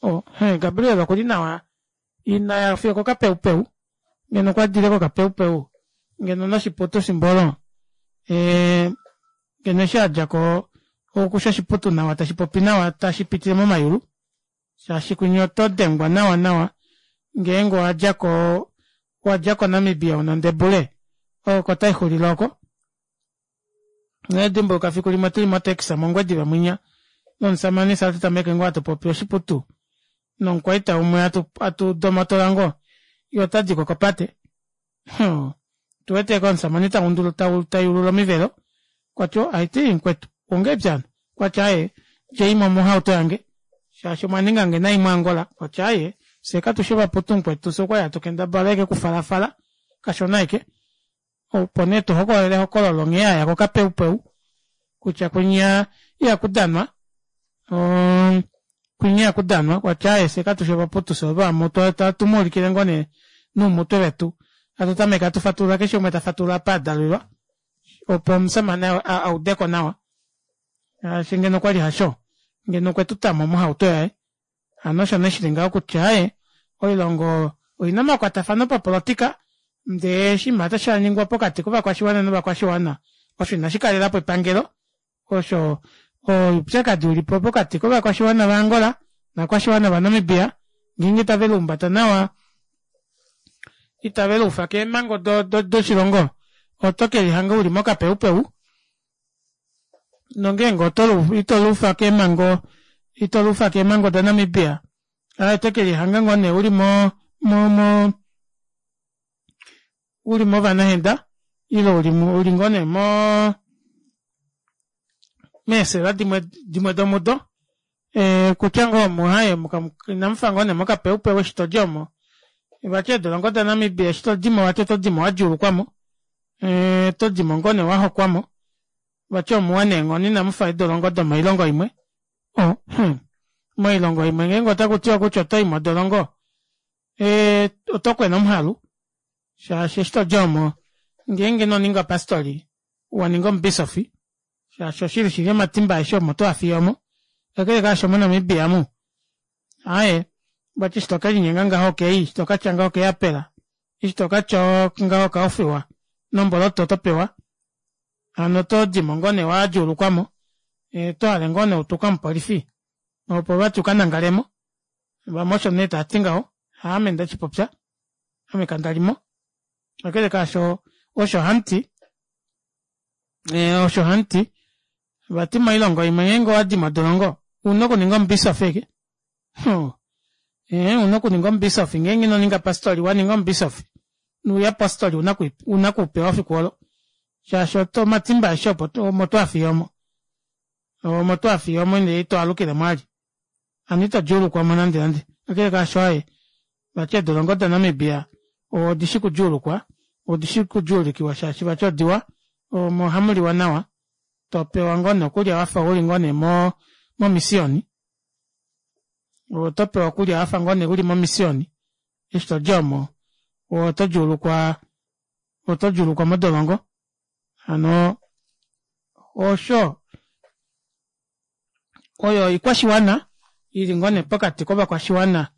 Oh, he, Gabriel okuli nawa inaya fiyo kokapeupeu ngeno okwa dile kokapeupeu ngeno noshiputu shimbolo eh, ngeno eshi adjako okusha oshiputu nawa tashi popi nawa tashi pitile momayulu shaashi kwinya oto dengwa nawa nawa ngeenge owadjako wadja koNamibia una ondebule oko taixulile oko nedimbuluka fiku limwe tuli motaxi mOngwediva mwinya nomusamane fye atu tameke ngoo atupopi oshiputu nomukwaita umwe atu atu domotola ngoo yee otadiko kopate hmm tuwete ashike omusamane tayulula omivelo okwati oo aiti mukwetu ongahelipi hano okwati aaye djeimo mohauto yange shaashi omwaningange nai mu Angola okwati aaye fyee katushi ovaputu mukwetu fyee okwali hatu kendabala ashike okufalafala kashona ashike opo nee tuhokolola ehokololo nghee aya kokapeupeu kutya kwinya ihakudanwa oo kwinya ihakudanwa okwati aaye fyee katushi ovaputu fyee ovamutu ohatumuulikile ngoo nee noumutwe vetu hatu tameke hatu fatulula keshe umwe tafatulula apa adalelwa opo omushamane audeko nawa shaashi ngeno okwali hasho ngeno okwetutamo mohauto yaye hano osho nee shili ngaho kutya aaye oilongo oina omakwatafano papolotika ndee oshinima osho shaningwa pokati kovakwashiwana novakwashiwana osho ina shikalelapo epangelo osho oupyakadi ulipo pokati kovakwashiwana va angola novakwashiwana va namibia ngeenge itave lihumbata nawa itave luufa keemango doshilongo oto kelihanga uli mokapeupeu nongeenge itoluufa keemango itoluufa keemango da namibia aaye otokelihanga ngoo nee uli mo mo mo uli movanahenda ile uli ngoo nee moo meesela dimwe dimwe domudo ee kutya ngoo omu aaye inamufa ngoo nee mokapeupeu eshi todi omo vati eedolongo da namibia eshi todimo vati otodimo wadjuulukwamo otodimo ngoo nee wahokwamo vati omuwa neenghono inamufa eedolongo domoilongo imwe oh hmm moilongo imwe ngeenge otakutiwa kutya otoyi modolongo ee otokwena omuhalu shaashi eshi todi omo ngeenge inoninga pastori waninga omubisofi shaashi oshili shili omatimba aeshe omo toafiye omo kakele kaasho mo namibia omu aaye vati eshi tokelinyenga ngaho okei eshi tokatya ngaho okeapela eshi tokatya ngaho okaofiwa nomboloto otopewa hano otodimo ngoo nee wadjuulukwamo otohale ngoo nee utuke omupolifi opo vati ukanangalemo vamwe osho nee taati ngaho haame ndeshipopya ame kandalimo kakele kaasho osho hamuti osho hamuti vati moilongo imwe ngeenge owadi modolongo ouna okuninga omubisofi ashike ee ouna okuninga omubisofi ngeenge inoninga pastori waninga omubisofi nouyapostoli ouna okuupewa efiku olo shaashi omatimba aeshe omo toafiye omo omo toafiye omo ndee itoalukilemo vali hano ito djuulukwamo nande nande kakele kaasho aaye vati eedolongo da namibia odishi kudjuulukwa odishi kudjuulikiwa shaashi vati odiwa omo ohamuliwa nawa topewa ngoo nee okulya wafa uli ngoo nee mo momisioni otopewa okulya wafa ngoo nee uli momisioni eshi todi omo oto djuulukwa oto djuulukwa modolongo hano osho oyo oikwashiwana ili ngoo nee pokati kovakwashiwana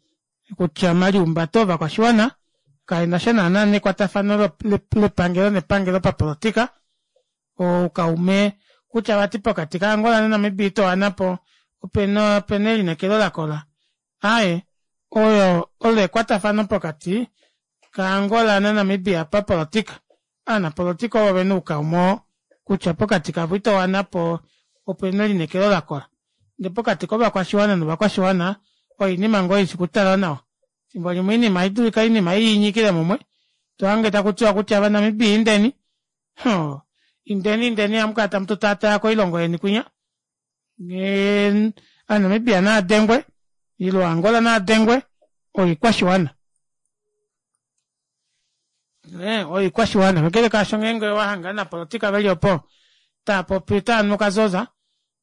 kutya omaliumbato ovakwashiwana kaenasha naana nekwatafano lepangelo nepangelo papolotika oukaume kutya vati pokati ka Angola na Namibia itowanapo opena opena elineekelo lakola aaye oyo olo ekwatafano pokati ka Angola na Namibia papolotika ovanapolotika ovo vena oukaume oo kutya pokati kavo itowanapo opena elineekelo lakola ndee pokati kovakwashiwana novakwashiwana oinima ngoo ishi okutalwa nawa efimbo limwe oinima ohaidulika oinima iinyikile mumwe tohange takutiwa kutya ovanamibia indeni hoo indeni indeni hamukala tamu tutaataya koilongo yeni kwinya ovanamibia naadengwe ile angola naadengwe oikwashiwana oikwashiwana kakele kaasho ngeenge owahanga ovanapolotika veli opo taapopi otaanu okazoza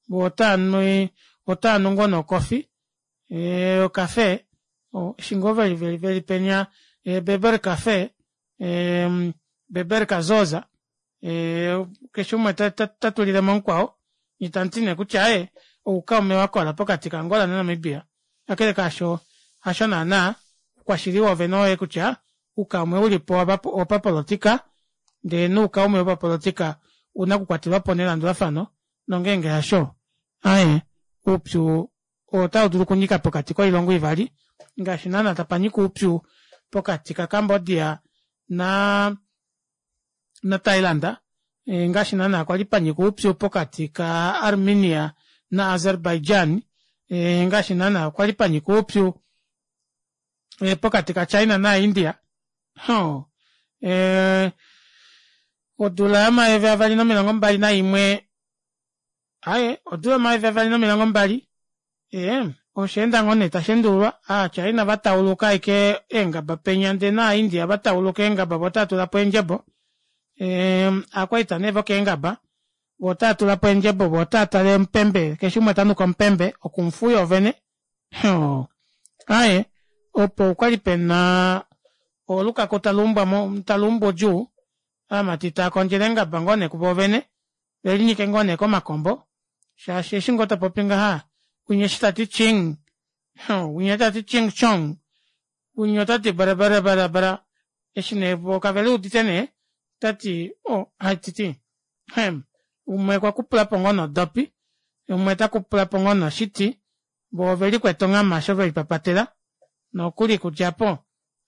voo otaanu otaanu ngoo nee ocoffee ocafe eshi ngoo veli veli penya beber cafe beber kazoza keshe umwe tatulilemo mukwao nyee tamuti nee kutya aaye oukaume wakola pokati ka angola na namibia Kakele kaasho hasho naana oukwashili woovene oyoo kutya oukaume ulipo owopapolitika ndee noukaume wopapolitika ouna okukwatelwapo nelandulafano nongeenge hasho aaye oupyu otaudulu okunyika pokati koilongo ivali ngaashi naana tapanyika oupyu pokati ka cambodia naa na thailand ngaashi naana kwali panyika oupyu pokati ka armenia na azerbaijan ngaashi naana kwali panyika oupyu pokati ka china na india oo ee odula yomayovi avali nomilongo mbali naimwe aaye odula yomayovi avali nomilongo mbali ee osheenda ngoo nee tasheendululwa aa china vatauluka ashike eengaba penya ndee naa india vatauluka eengaba voo otaatulapo eendjebo ee ovakwaita nee vokeengaba voo otaatulapo eendjebo voo otaatale omupembe keshe umwe tanuka omupembe okungfu yoovene oo aaye opo okwali pena olukaku taluumbwa taluumbu udjuu ovamati taakondjele eengaba ngoo nee kuvoovene velinyike ngoo nee komakombo shaashi eshi ngoo topopi ngaha winya eshi tati ching winya tati ching chong winya otati bara bara bara eshi nee voo kaveluudite nee otati oo haititi hem umwe okwa kupulapo ngoo nee odopi umwe takupulapo ngoo nee oshiti voo ovelikwete onghama osho velipapatela nokuli okudja aapo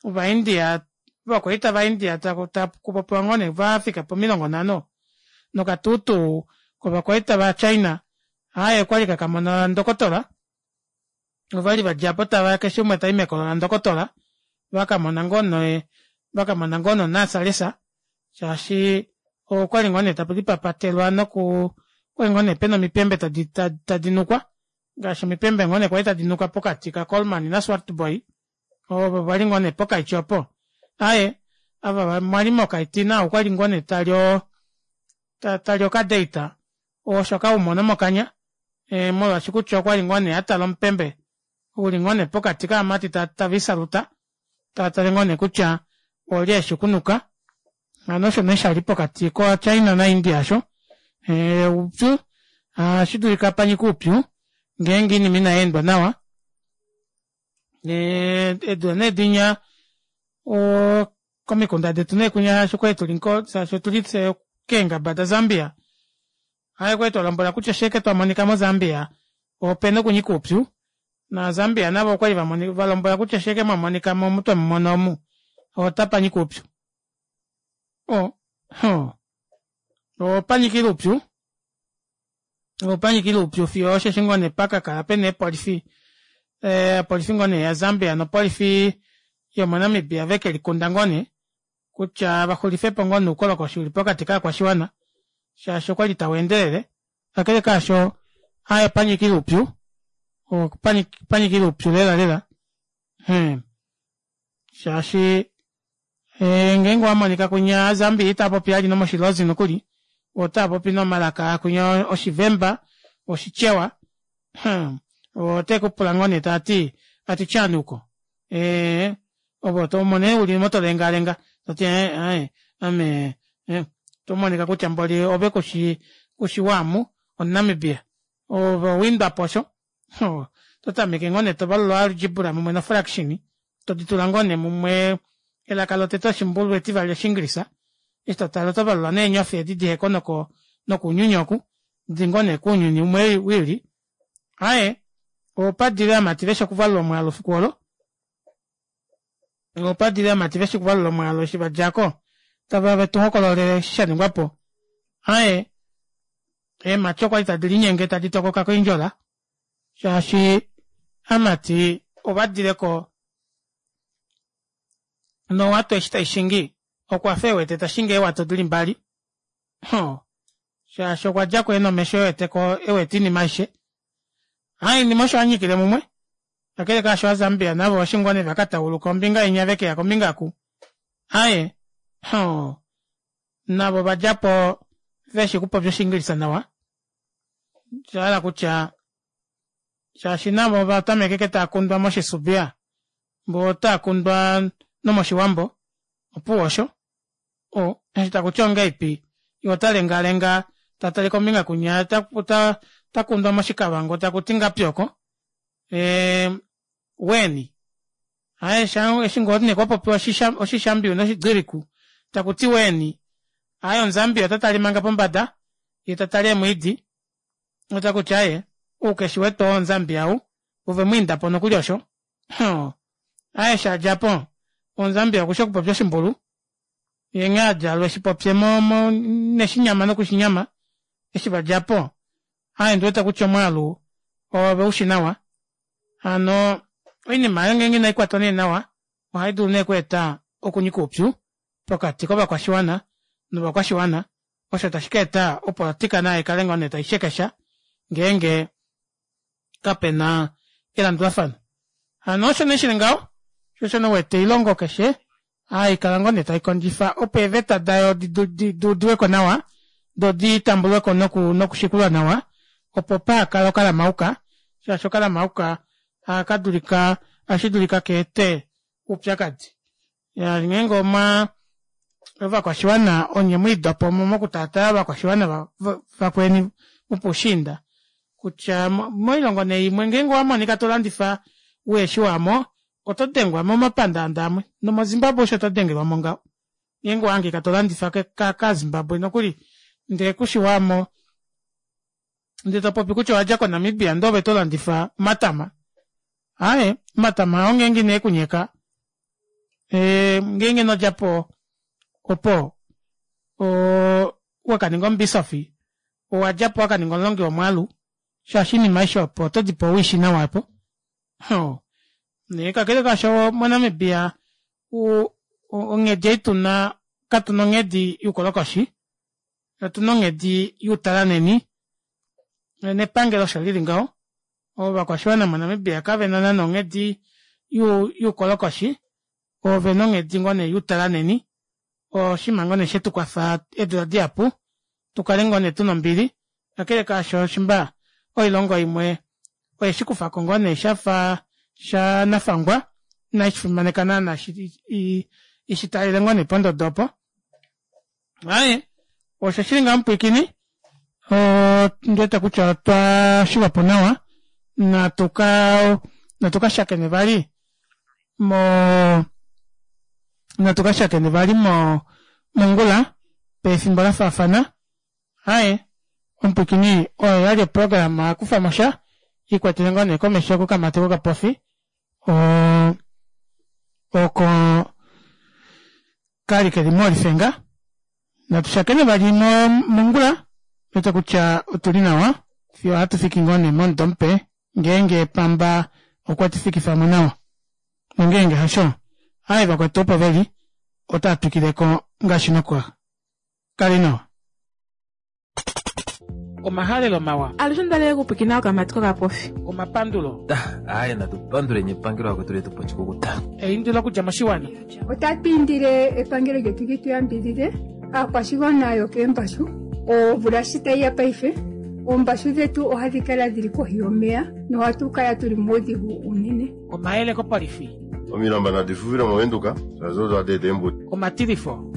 ova india ovakwaita va india takupopiwa ngoo nee vafika pomilongo nhano nokatuutuu kovakwaita va china aaye okwali kakamona ndokotola ovali vadjapo tava keshe umwe tayi mekolo landokotola vakamona ngoo nee vakamona ngoo nee onasalesa shaashi okwali ngoo nee takulipapatelwa nokuu okwali ngoo nee pena omipembe tadinukwa ngaashi omipembe ngoo nee kwali tadinuka pokati ka coleman na swartbooi ovo vali ngoo nee pokaiti opo aaye ava mwali mokaiti nao okwali ngoo nee tali oo tali okadate osho kaumona mokanya molwaashi kutya okwali ngoo nee atala omupembe uli ngoo nee pokati kovamati taviisaluta taatale ngoo nee kutya olye eshi okunuka hano osho nee shali pokati ko china na india aasho oupyu ohashidulika panyike oupyu ngeenge oinima inayeendwa nawa eedula nee dinya oo komikunda detu neekunya shaashi okwali tuli shaashi otuli fyee keengaba da zambia aaye okwali twalombwelwa kutya shaike twamonika mo zambia opena okunyika oupyu na zambia navo okwali valombwelwa kutya shaike mwamonikamo omu twemumona omu otapanyika oupyu oo opanyikile oupyu opanyikile oupyu fiyo osheshi ngoo nee pakakala pena eepolifi opolifi ngoo nee ya zambia nopolifi yomo namibia vekelikunda ngoo nee kutya vaxulifepo ngoo nee oukolokoshi uli pokati kovakwashiwana shaashi okwali taweendelele kakele kaasho aaye opanyikile oupyu opanyikile oupyu lela lela shaashi ngeenge owamonika kwinya ova zambia itaapopi vali nomoshilozi nokuli otaapopi nomalaka akwinya oshivemba oshichewa otekupula ngoo nee taati ati chani uko ee ove omo nee uli omo tolengalenga toti ee aaye ame otomonika kutya mboli ove kushi kushi waamu omu namibia ove owaindwapo osho ototameke ngoo nee tovalula o algebra mumwe no fraction toditula ngoo nee mumwe elaka lotete oshimbulu etivali oshingilisa eshi totale otovalula nee eenyofi edi diheko nokounyuni oku dili ngoo nee kounyuni umwe wiili aaye opadile ovamati veshi okuvalula omwaalu efiku oolo opadile ovamati veshi okuvalula omwaalu eshi vadjako taveya vetuhokololele eshi shaningwapo aaye eemati okwali tadi linyenge tadi tokoka koindjola shaashi amati ovadileko nowato eshi taishingi okwafa ewete tashingi eewato dili mbali hoo shaashi okwadjako ena omesho eweteko ewete oinima aishe aaye oinima osho yanyikile mumwe kakele kaasho ova zambia navo eshi ngoo nee vakatauluka ombinga inya vekeya kombinga oku aaye hoo navo ovadjapo veshi okupopya oshingilisa nawa oshahala kutya shaashi navo ovatameka ashike taakundwa moshisubia voo otaakundwa nomoshiwambo opuwo osho oo eshi takuti ongahelipi yee otalengalenga tatale kombinga kunya otakundwa moshikavango takuti ngapi oko ee Weni aye sha eshi ngoo nee kwapopiwa oshishambiyu noshigiriku takuti weni aye omuzambia ota tale manga pombada yee tatale eemwiidi otakuti aaye ou keshi wete oo omuzambia ou ovemwiindapo nokuli osho aaye eshi adjapo omuzambia okushi okupopya oshimbulu yee nghee adja eshipopye mo mo neshinyama nokushinyama eshi vadjapo aaye ondiwete kutya omwaalu oveushi nawa hano oinima aayo ngenge inaikwatwa nee nawa ohaidulu nee okweeta okunyika oupyu pokati kovakwashiwana novakwashiwana osho tashi kaeta opolitika nayo ikale ngoo nee taishekesha ngeenge kapena elandulafano hano osho nee shili ngaho shoo osho nee uwete oilongo keshe haikala ngoo nee taikondjifa opo eeveta dayo duudiweko nawa doo ditambulweko nokushikulwa nawa opo pahakale okalamauka shaashi okalamauka ohakadulika ohashidulika kaete oupyakadi iyaa ngeenge omwaa ovakwashiwana onye mwiidopomo mokutaataya ovakwashiwana vakweni vopoushiinda kutya moilongo nee imwe ngeenge owamonika tolandifa uheshi waamo oto dengwa momapandaanda amwe nomo zimbabwe osho todengelwamo ngaho ngeenge owahangika tolandifa kaa zimbabwe nokuli ndee kushi waamo ndee topopi kutya owadja ko namibia ndee ove tolandifa omatama aaye omatama oo ngeenge ineekunyeka ngeenge inodjapo opo oo wakaninga omubisofi owadjapo wakaninga omulongi womwaalu shaashi oinima aishe opo oto dipewa uishi nawa aapo nee kakele kaasho mo namibia onghedi ei tuna katuna onghedi youkolokoshi otuna onghedi youtalanheni nepangelo osho lili ngaho ovakwashiwana mo namibia kavena naana onghedi youkolokoshi ovena onghedi ngoo nee youtalanheni oshinima ngoo nee shetukwafa eedula dihapu tukale ngoo nee tuna ombili kakele kaasho shimba oilongo imwe oyeshikufako ngoo nee shafa shanafangwa inaishifimaneka naana ishitalele ngoo nee pondodo opo aaye osho shili ngaho mupwiikini ondiwete kutya otwa shilwapo nawa natuka natuka shakene vali moo natuka shakene vali mo mongula pefimbo lafaafana aaye omupwiikini oyo oyali oprograma kufamosha ikwetele ngoo nee komesho kokamati kokapofi oo oko kali keli molifenga natushakene vali mongula ondiwete kutya otuli nawa fiyo ohatufiki ngoo nee momudo mupe ngeenge pamba okwetufikifamo nawa nongeenge hasho aaye vakwetu opo veli otaatwikileko ngaashi nokwa kali nawa omahalelo mawa Alushe ondalele okupwiikina okamati kokapofi. Omapandulo. Aaye natu panduleni epangelo akwetu letu poshikukuta. Eindilo okudja moshiwana. Otatu indile epangelo lyetu li tu yambidhidhe aakwashigwana yokeembashu omvula shi tayi ya paife oombashu dhetu ohadhi kala dhili kohi yomeya nohatu kala tuli muudhigu uunene. Omayele kopolifi. Omilamba nadi fufile movenduka shaashi odo hadi eta eembuto. Omatilifo.